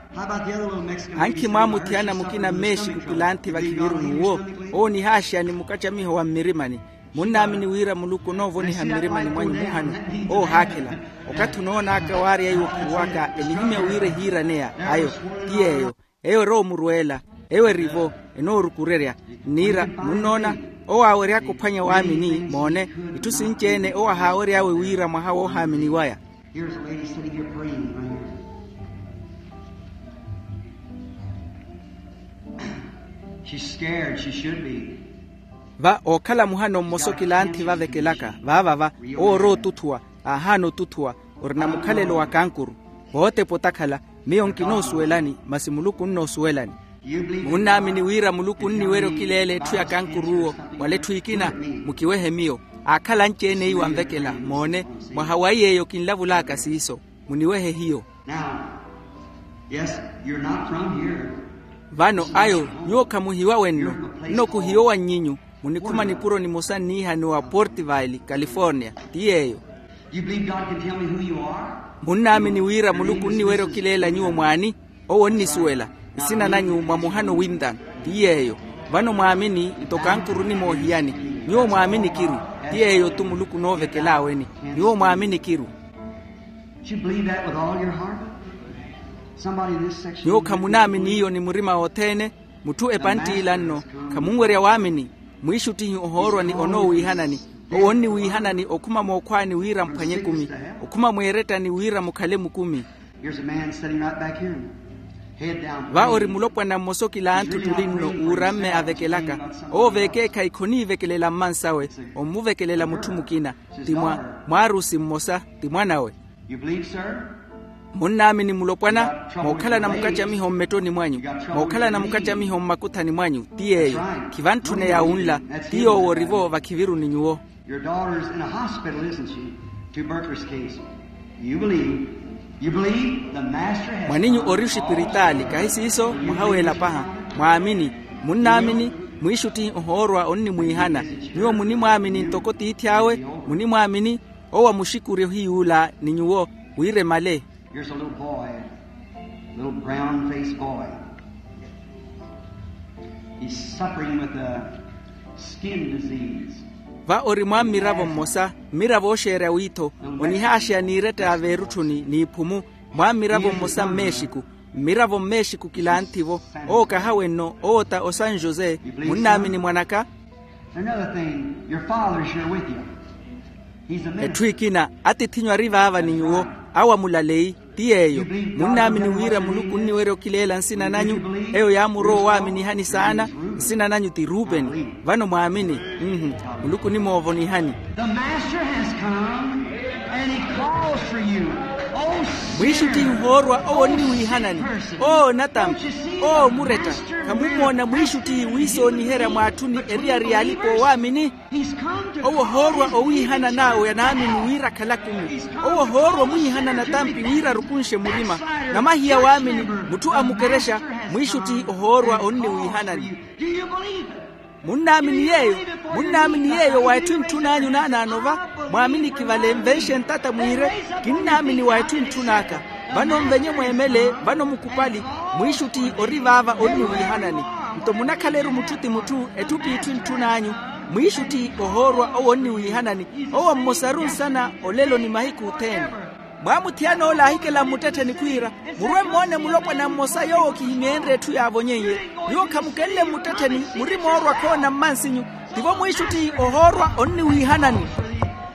Ankhi mwaamuthiyana mukina mmeexiku kilanthi vakhiviru n'uwo. Owo onihaaxeya ni mukacamiho wa mmirimani. Munnaamini wira muluku onoovoniha mmirimani mwanyu muhano. Owo ohaakhela. Okathi onoon'aka waarya iwo khuruwaka enihimya wira ehiiraneya ayo. Ti yeeyo. Eyo erowa omurweela. Eyo erivo. Enoorukurerya. Nniira munnoona? Owo aawery'aka ophwanya waamini moone. Itthu sinci-ene owo ahaawery'awe wira mwaha woohaaminiwaya. Here's a lady sitting here praying right here. She's scared. She should be. Va ookhala muhano mmosa okilanthi vavekelaka vaavava. Owo orootuthuwa, aahaana otuthuwa. Orina mukhalelo wa kankuru. Vootepa otakhala. Miyo nkinoosuwelani, masi muluku onnoosuwelani. Munnaamini wira muluku onniwerya okileela etthu ya kankuruwo? Wala etthu ekina. Mukiwehe miyo. Aakhala anci-ene iwo anvekela moone. Mwaha wa iy'eyo kinlavulaka siiso. Muniwehe hiyo. Now, yes, you're not from here. Vano ayo, nyuwo khamuhiwa wenno. Nno kuhiyo wa nnyinyu. Munikhuma nipuro nimosa nniihaniwa portivale, california. Ti yeeyo. You believe God can tell me who you are? Munnaamini wira muluku onniwerya okileela nyuwo mwaani? Owo onnisuwela. Nsina nanyu mwa muhano wintan. Ti yeeyo. Vano mwaamini nto kankuru onimoohiyani. Nyuwo mwaamini kiru. Ti yeeyo-tu muluku onoovekelaaweni. Nyuwo mwaamini kiru. Did you believe that with all your heart? Somebody in this section. Nyuwo khamunaamini iyo ni murima wothene? Mutthu epantt'ila nno. Khamunwerya waamini. Mwiixuttihi ohoorwa ni onoowiihanani. Owo onniwiihanani okhuma mookhwaani wira mphwanye ekumi. Okhuma mweerettani wira mukhale mukumi. Here's a man sitting right back here. Head down. Va ori mulopwana mmosa okilanthu ottuli nno uuramme avekelaka. Owo vekeekhayi khoniivekelela mmansawe. Ommuvekelela mutthu mukina. Ti mwa mwaarusi mmosa. Ti mwanawe. You believe, sir? Munnaamini mulopwana? Mookhalana mukacamiho mmettoni mwanyu. Mookhalana mukacamiho mmakuthani mwanyu. Ti yeeyo. Khivantthune ya wunla. Ti yoowo orivo vakhiviruni nyuwo. Your daughter's in a hospital, isn't she? Tuberculosis case. You believe? You believe the master has. Mwaninyu ori oxipiritaali, kahi siiso? Muhaweela paha. Mwaamini. Munnaamini? Mwiixuttihi ohoorwa onnimwiihana. Nyuwo munimwaamini ntoko tiithi awe? Munimwaamini? Owo amuxikuri ohiy'ula ni nyuwo wira emale. Here's a little boy, little brown-faced boy. He's suffering with a skin disease. Va ori mwa mmiravo mmosa, mmiravo ooxeerya wiitho. Onihaaxeya n'iretta ya veerutthuni n'iphumu. Mwa mmiravo mmosa mmeexiku. Mmiravo mmeexiku kilantthi-vo. Owo kahawe nno. Owo ta o san jose. Munnaamini mwanaka? Another thing, your father's here with you. He's a minister. Etthu ekina, atiith'inyu ari vaava ni nyuwo. Awo amulaleyi. Ti yeeyo. Munnaamini wira muluku onniwerya okileela nsina nanyu? Eyo yaamurowa owaaminihani saana. Nsina nanyu ti rupeni. Vano mwaamini? Muluku onimoovonihani. The master has come and he calls for you. Mwiixuttihi ohoorwa. Owo onniwiihanani. Owo natampi. Owo muretta. Khamummoona mwiixuttihi wiisooniherya mwaatthuni eriyari y'alipa oowaamini? Owo ohoorwa owiihana n'awo anaamini wira akhala akumi. Owo ohoorwa omwiihana natampi wira arukunxe murima. Namahiya waamini. Mutthu amukerexa. Mwiixuttihi ohoorwa onniwiihanani. Munnaamini yeeyo? Munnaamini yeeyo wa etthu entthun'anyu naanaano va? Mwaamini kivale nvenxe ntata mwiire, kinnaamini wa etthu entthun'aka. Vano nvenye mweemele. Vano mukupali. Mwiixuttihi ori vaava onniwiihanani. Nto munakhala-ru mutthu ti mutthu, etthu p'itthu entthun'anyu. Mwiixuttihi ohoorwa owo onniwiihanani. Owo mmosaru nsana olelo ni mahiku othene. Mwaamuthiyana ola aahikela mmuttettheni khwiira, murwe mmoone mulopwana mmosa yoowo khihimyeenrye etthu yaavonyeiye. Nyuwo khamukenle mmuttettheni, muri moorwa khoona mmansinyu. Tivo mwiixuttihi ohoorwa onniwiihanani.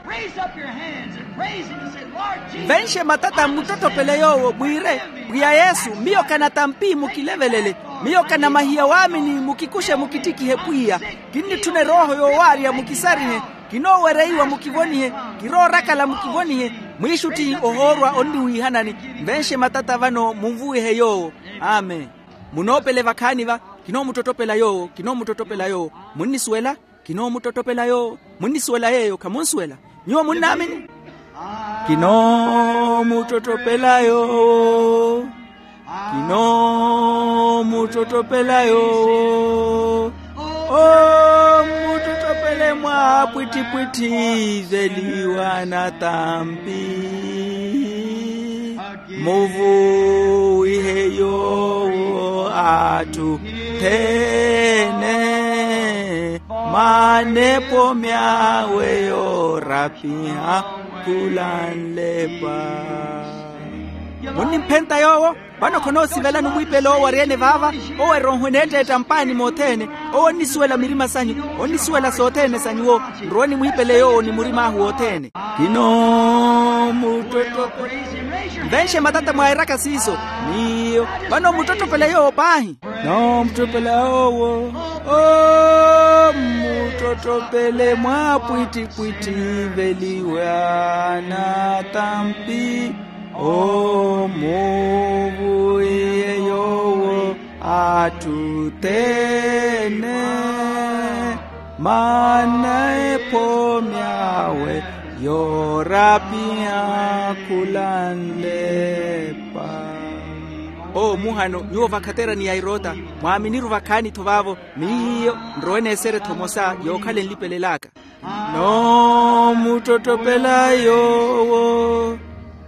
Raise up your hands and praise him and say, Lord Jesus. Nvenxe matata mmuttottopele yoowo mwiire, pwiya yesu, miyo kanatampi, mukilevelele. Miyo kanamahiya waamini, mukikuxe mukittikihe pwiya. Kinnitthuna erooho yoowaarya, mukisarihe. Kinoowereiwa, mukivonihe. Kiroorakala, mukivonihe. Mwiixuttihi ohoorwa onniwiihanani. Nvenxe matata vano munvuwihe yoowo. Amen. Munoopele vakhaani va. Kinoomuttottopela yoowo, kinoomuttottopela yoowo. Munnisuwela? Kinoomuttottopela yoowo. Munnisuwela yeeyo? Khamunsuwela. Nyuwo munnaamini? Kinoomuttottopela yoowo. Kinoomuttottopela yoowo. Ommuttottopele mwaapwitthipwitthi, iveliwa natampi. Muvuwihe yoowo atthu thene, manepo myawe yoorapiha khula nlepa. Munnimphenta yoowo? Vano khonoosivelani omwiipele owo ari-ene vaava. Owo erooho eneetteetta mpaani mothene. Owo onnisuwela mirima sanyu. Onnisuwela sothene sa nyuwo. Nrowe nimwiipele yoowo ni murim'ahu wothene. Kinoomuttottopela Nvenxe matata mwairaka siiso. Miyo vano muttottopela yoowo paahi. Noomuttottopela yoowo. Oomuttottopele mwaapwittipwittiveliwa natampi. Omuvuwihe yoowo atthu othene. Maana ephomi awe yoorapiha khula nlepa. Owo muhano nyuwo vakhaterani ya eroota. Mwaaminiru vakhaani-tho vaavo. Miyo nrowe n'esere-tho emosa yookhala enlipelel'aka. Kinoomuttottopela yoowo.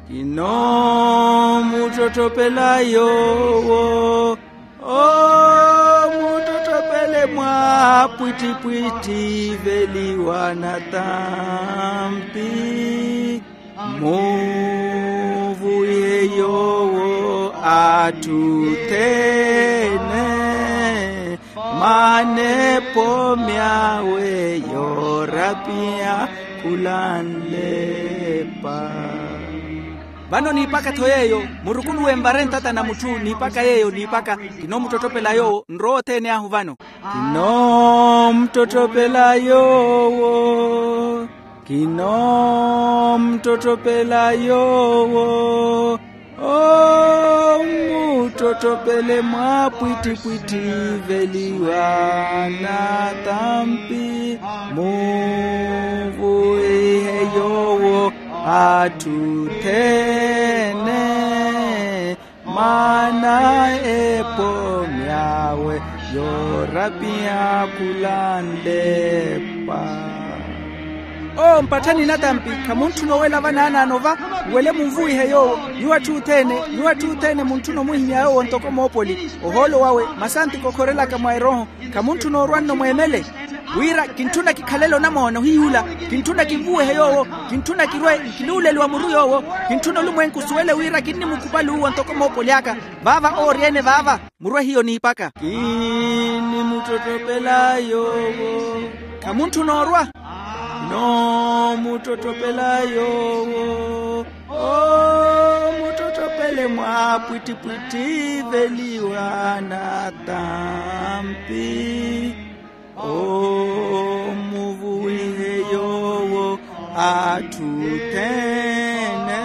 Kinoomuttottopela yoowo. Oomuttottopele mwaapwittipwittiveliwa natampi. Muvuwihe yoowo atthu othene. Maana ephomi awe yoorapiha khula nlepa. Vano niipaka-tho yeeyo. Murukuluwe nvare ntata na mutthu niipaka yeeyo niipaka. Kinoomuttottopela yoowo nrowe othene ahu vano. Kinoomuttottopela yoowo. Kinoomuttottopela yoowo. Oomuttottopele mwaapwittipwittiveliwa natampi. Muvuwihe yoowo atthu othene. Maana ephomi awe yoorapiha khula nlepa. Owo mpatthani natampi. Khamuntthuna owela vanaanaano va. Wele munvuwihe yoowo. Nyuwo atthu othene, nyuwo atthu othene muntthuna omuhimya yoowo ntoko moopoli. Ohoolo wawe masanti kokhorelaka mwa erooho. Khamuntthuna orwa nno mweemele wira kintthuna kikhalele onamoona ohiyuula. Kintthuna kinvuwehe yoowo. Kintthuna kirwe nkiluuleliwa muru yoowo. Kintthuna olumwenku osuwele wira kinnimukhupali uwo ntoko moopoli aka. Vaava oori-ene vaava. Murwe hiyo niipaka. Kinnimuttottopela yoowo. Khamuntthuna orwa. Noomuttottopela yoowo. Oomuttottopele mwaapwittipwittiveliwa natampi. Omuvuwihe yoowo atthu othene.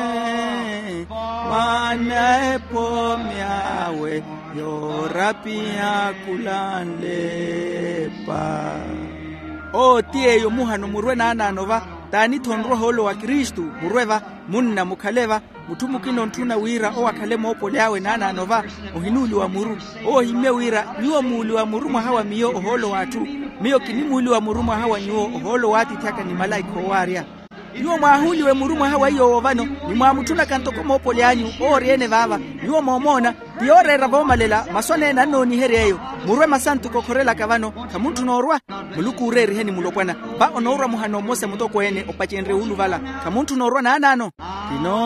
Maana ephomi awe yoorapiha khula nlepa. Owo ti yeeyo muhano murwe naanaano va. Taani-tho nrwa ohoolo wa kristu. Murwe va. Munna mukhale va. Mutthu mukina ontthuna wira owo akhale moopoli awe naanaano va. Ohinuuliwa muru. Owo ohimmye wira nyuwo muuliwa muru mwaha wa miyo ohoolo w'atthu. Miyo kinimuuliwa muru mwaha wa nyuwo ohoolo w'atiithi aka ni malaikha oowaarya. Nyuwo mwaahuuliwe muru mwaha wa iy'owo vano. Ni mwaamutthunaka ntoko moopoli anyu owo ori-ene vaava. Nyuwo moomoona. Ti yooreera voomalela masu aneene annooniherya eyo. Murwe masantu kokhorelaka vano. Khamuntthuna orwa. Muluku uureeriheni mulopwana. Va onoorwa muhano mmosa mutokweene opacenrye wuuluvala. Khamuntthuna orwa naanaano. Kino.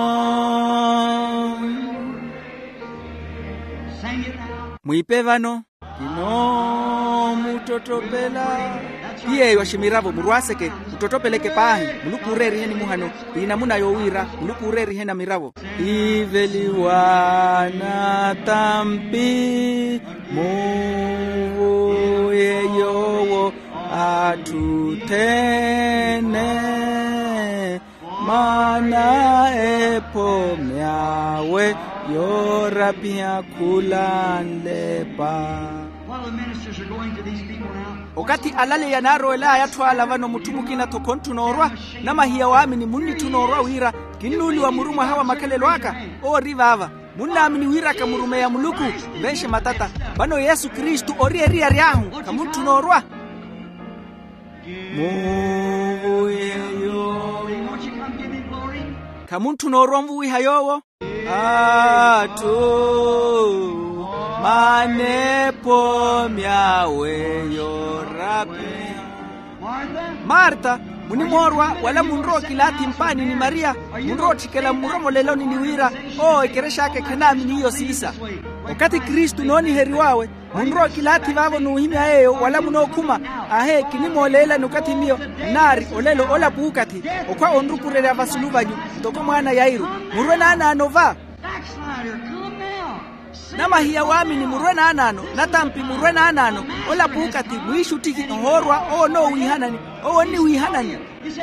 Mwiipe vano. Kinoomuttottopela. Ti yeeyo aximiravo murwaaseke. Muttottopeleke paahi. Muluku uureeriheni muhano. Pi namuna yoowiira muluku uureeriheni amiravo. Iveliwa natampi. Muvuwihe yoowo atthu othene. Maana ephomi awe yoorapiha khula nlepa. Okathi alaleya naarowel'aya atthu ala vano mutthu mukina-tho khontthu noorwa. Namahiya waamini munnitthuna orwa wira kinnuuliwa muru mwaha wa makhalelo aka. Owo ori vaava. Munnaamini wira kamurumeya muluku. Nvenxe matata. Vano yesu kristu ori eriyari ahu. Khamuntthu noorwa. Muvuwihe yoowo. Khamuntthu noorwa onvuwiha yoowo. Atthu. Maana ephomi awe yoorapiha. Marta, munimoorwa wala munrowa okilaathi mpaani ni mariya. Munrowa otthikela mmuromoleloni ni wira owo ekerex'aka ekhanaamini iyo siisa. Okathi kristu nooniheriw'awe. Munrowa okilaathi vaavo n'uhimya yeeyo wala munookhuma. Ahe kinimooleelani okathi miyo nnaari olelo ola puukathi. Okhwa onrukurerya vasulu vanyu. Ntoko mwaana yairu. Murwe naanaano va. Namahiya waamini murwe naanaano. Natampi murwe naanaano. Ola puukathi mwiixuttihi ohoorwa owo onoowiihanani. Owo onniwiihanani.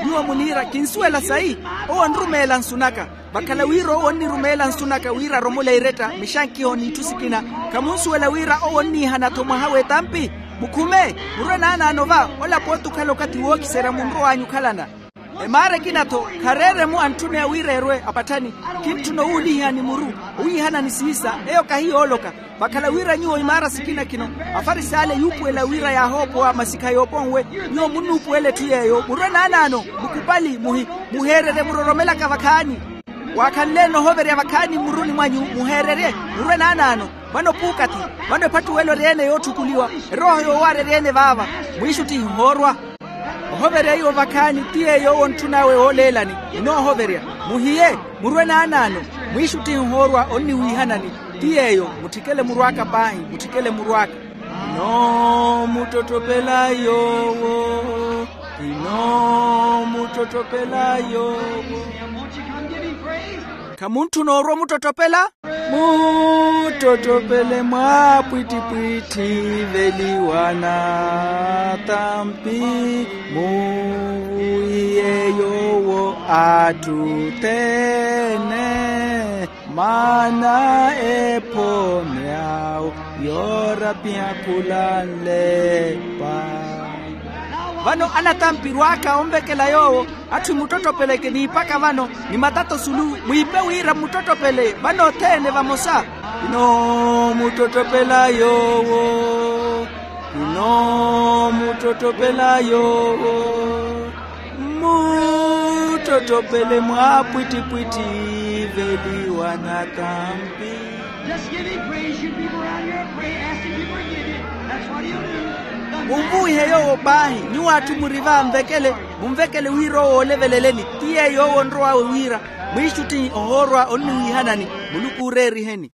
Nyuwo muniira kinsuwela sayi. Owo onrumeela nsu naka. Vakhala wira owo onnirumeela nsu naka wira aromole eretta mixankiho n'itthu sikina. Khamunsuwela wira owo onniihana-tho mwaha w'etampi. Mukhume. Murwe naanaano va. Ola pooti okhala okathi wookiserya munrow'anyu okhalana. Emaara ekina-tho khareeremu antthuneya wira erwe apatthani. Kintthuna owuulihihani muru. Owiihanani siisa. Eyo kahiyooloka. Vakhala wira nyuwo imaara sikina kino afarisale yuupuwela wira yaahoopowa masikha yooponwe. Nyuwo munnuupuwela etthu yeeyo murwe naanaano. Mukupali muhi. Muheererye muroromelaka vakhaani. Waakhanle-ene ohoverya vakhaani mmuruni mwanyu. Muheererye. Murwe naanaano. Vano puukathi. Vano ephattuwelo eri-ene yootthukuliwa. Erooho yoowaara eri-ene vaava. Mwiixuttihi ohoorwa. Ohoverya iwo vakhaani ti yeeyo owo ontthunawe wooleelani. Onoohoverya. Muhiye. Murwe naanaano. Mwiixuttihi ohoorwa onniwiihanani. Ti yeeyo. Mutthikele murw'aka paahi. Mutthikele murw'aka. Kinoomuttottopela yoowo. Kinoomuttottopela yoowo. Khamuntthuna orwa omuttottopela. Muttottopele mwaapwittipwitthi veliwa natampi. Muhiye yoowo atthu othene. Maana ephomeya awo yoorapiha khulanlepa. Vano anatampi rw'aka onvekela yoowo. Atthu emuttottopeleke niipaka vano ni matato sulu mwiipe wira muttottopele vano othene vamosa. Kinoomuttottopela yoowo. Kinoomuttottopela yoowo. Muttottopele mwaapwittipwitthi veliwa natampi. Just give him praise. You people around here, pray, ask him to forgive you. That's what he'll do. Munvuwihe yoowo paahi. Nyuwo atthu muri va nvekele. Munvekele wira owo ooleveleleni. Ti yeeyo owo onrowawe wira mwiixuttihi ohoorwa onniwiihanani. Muluku ooreeriheni.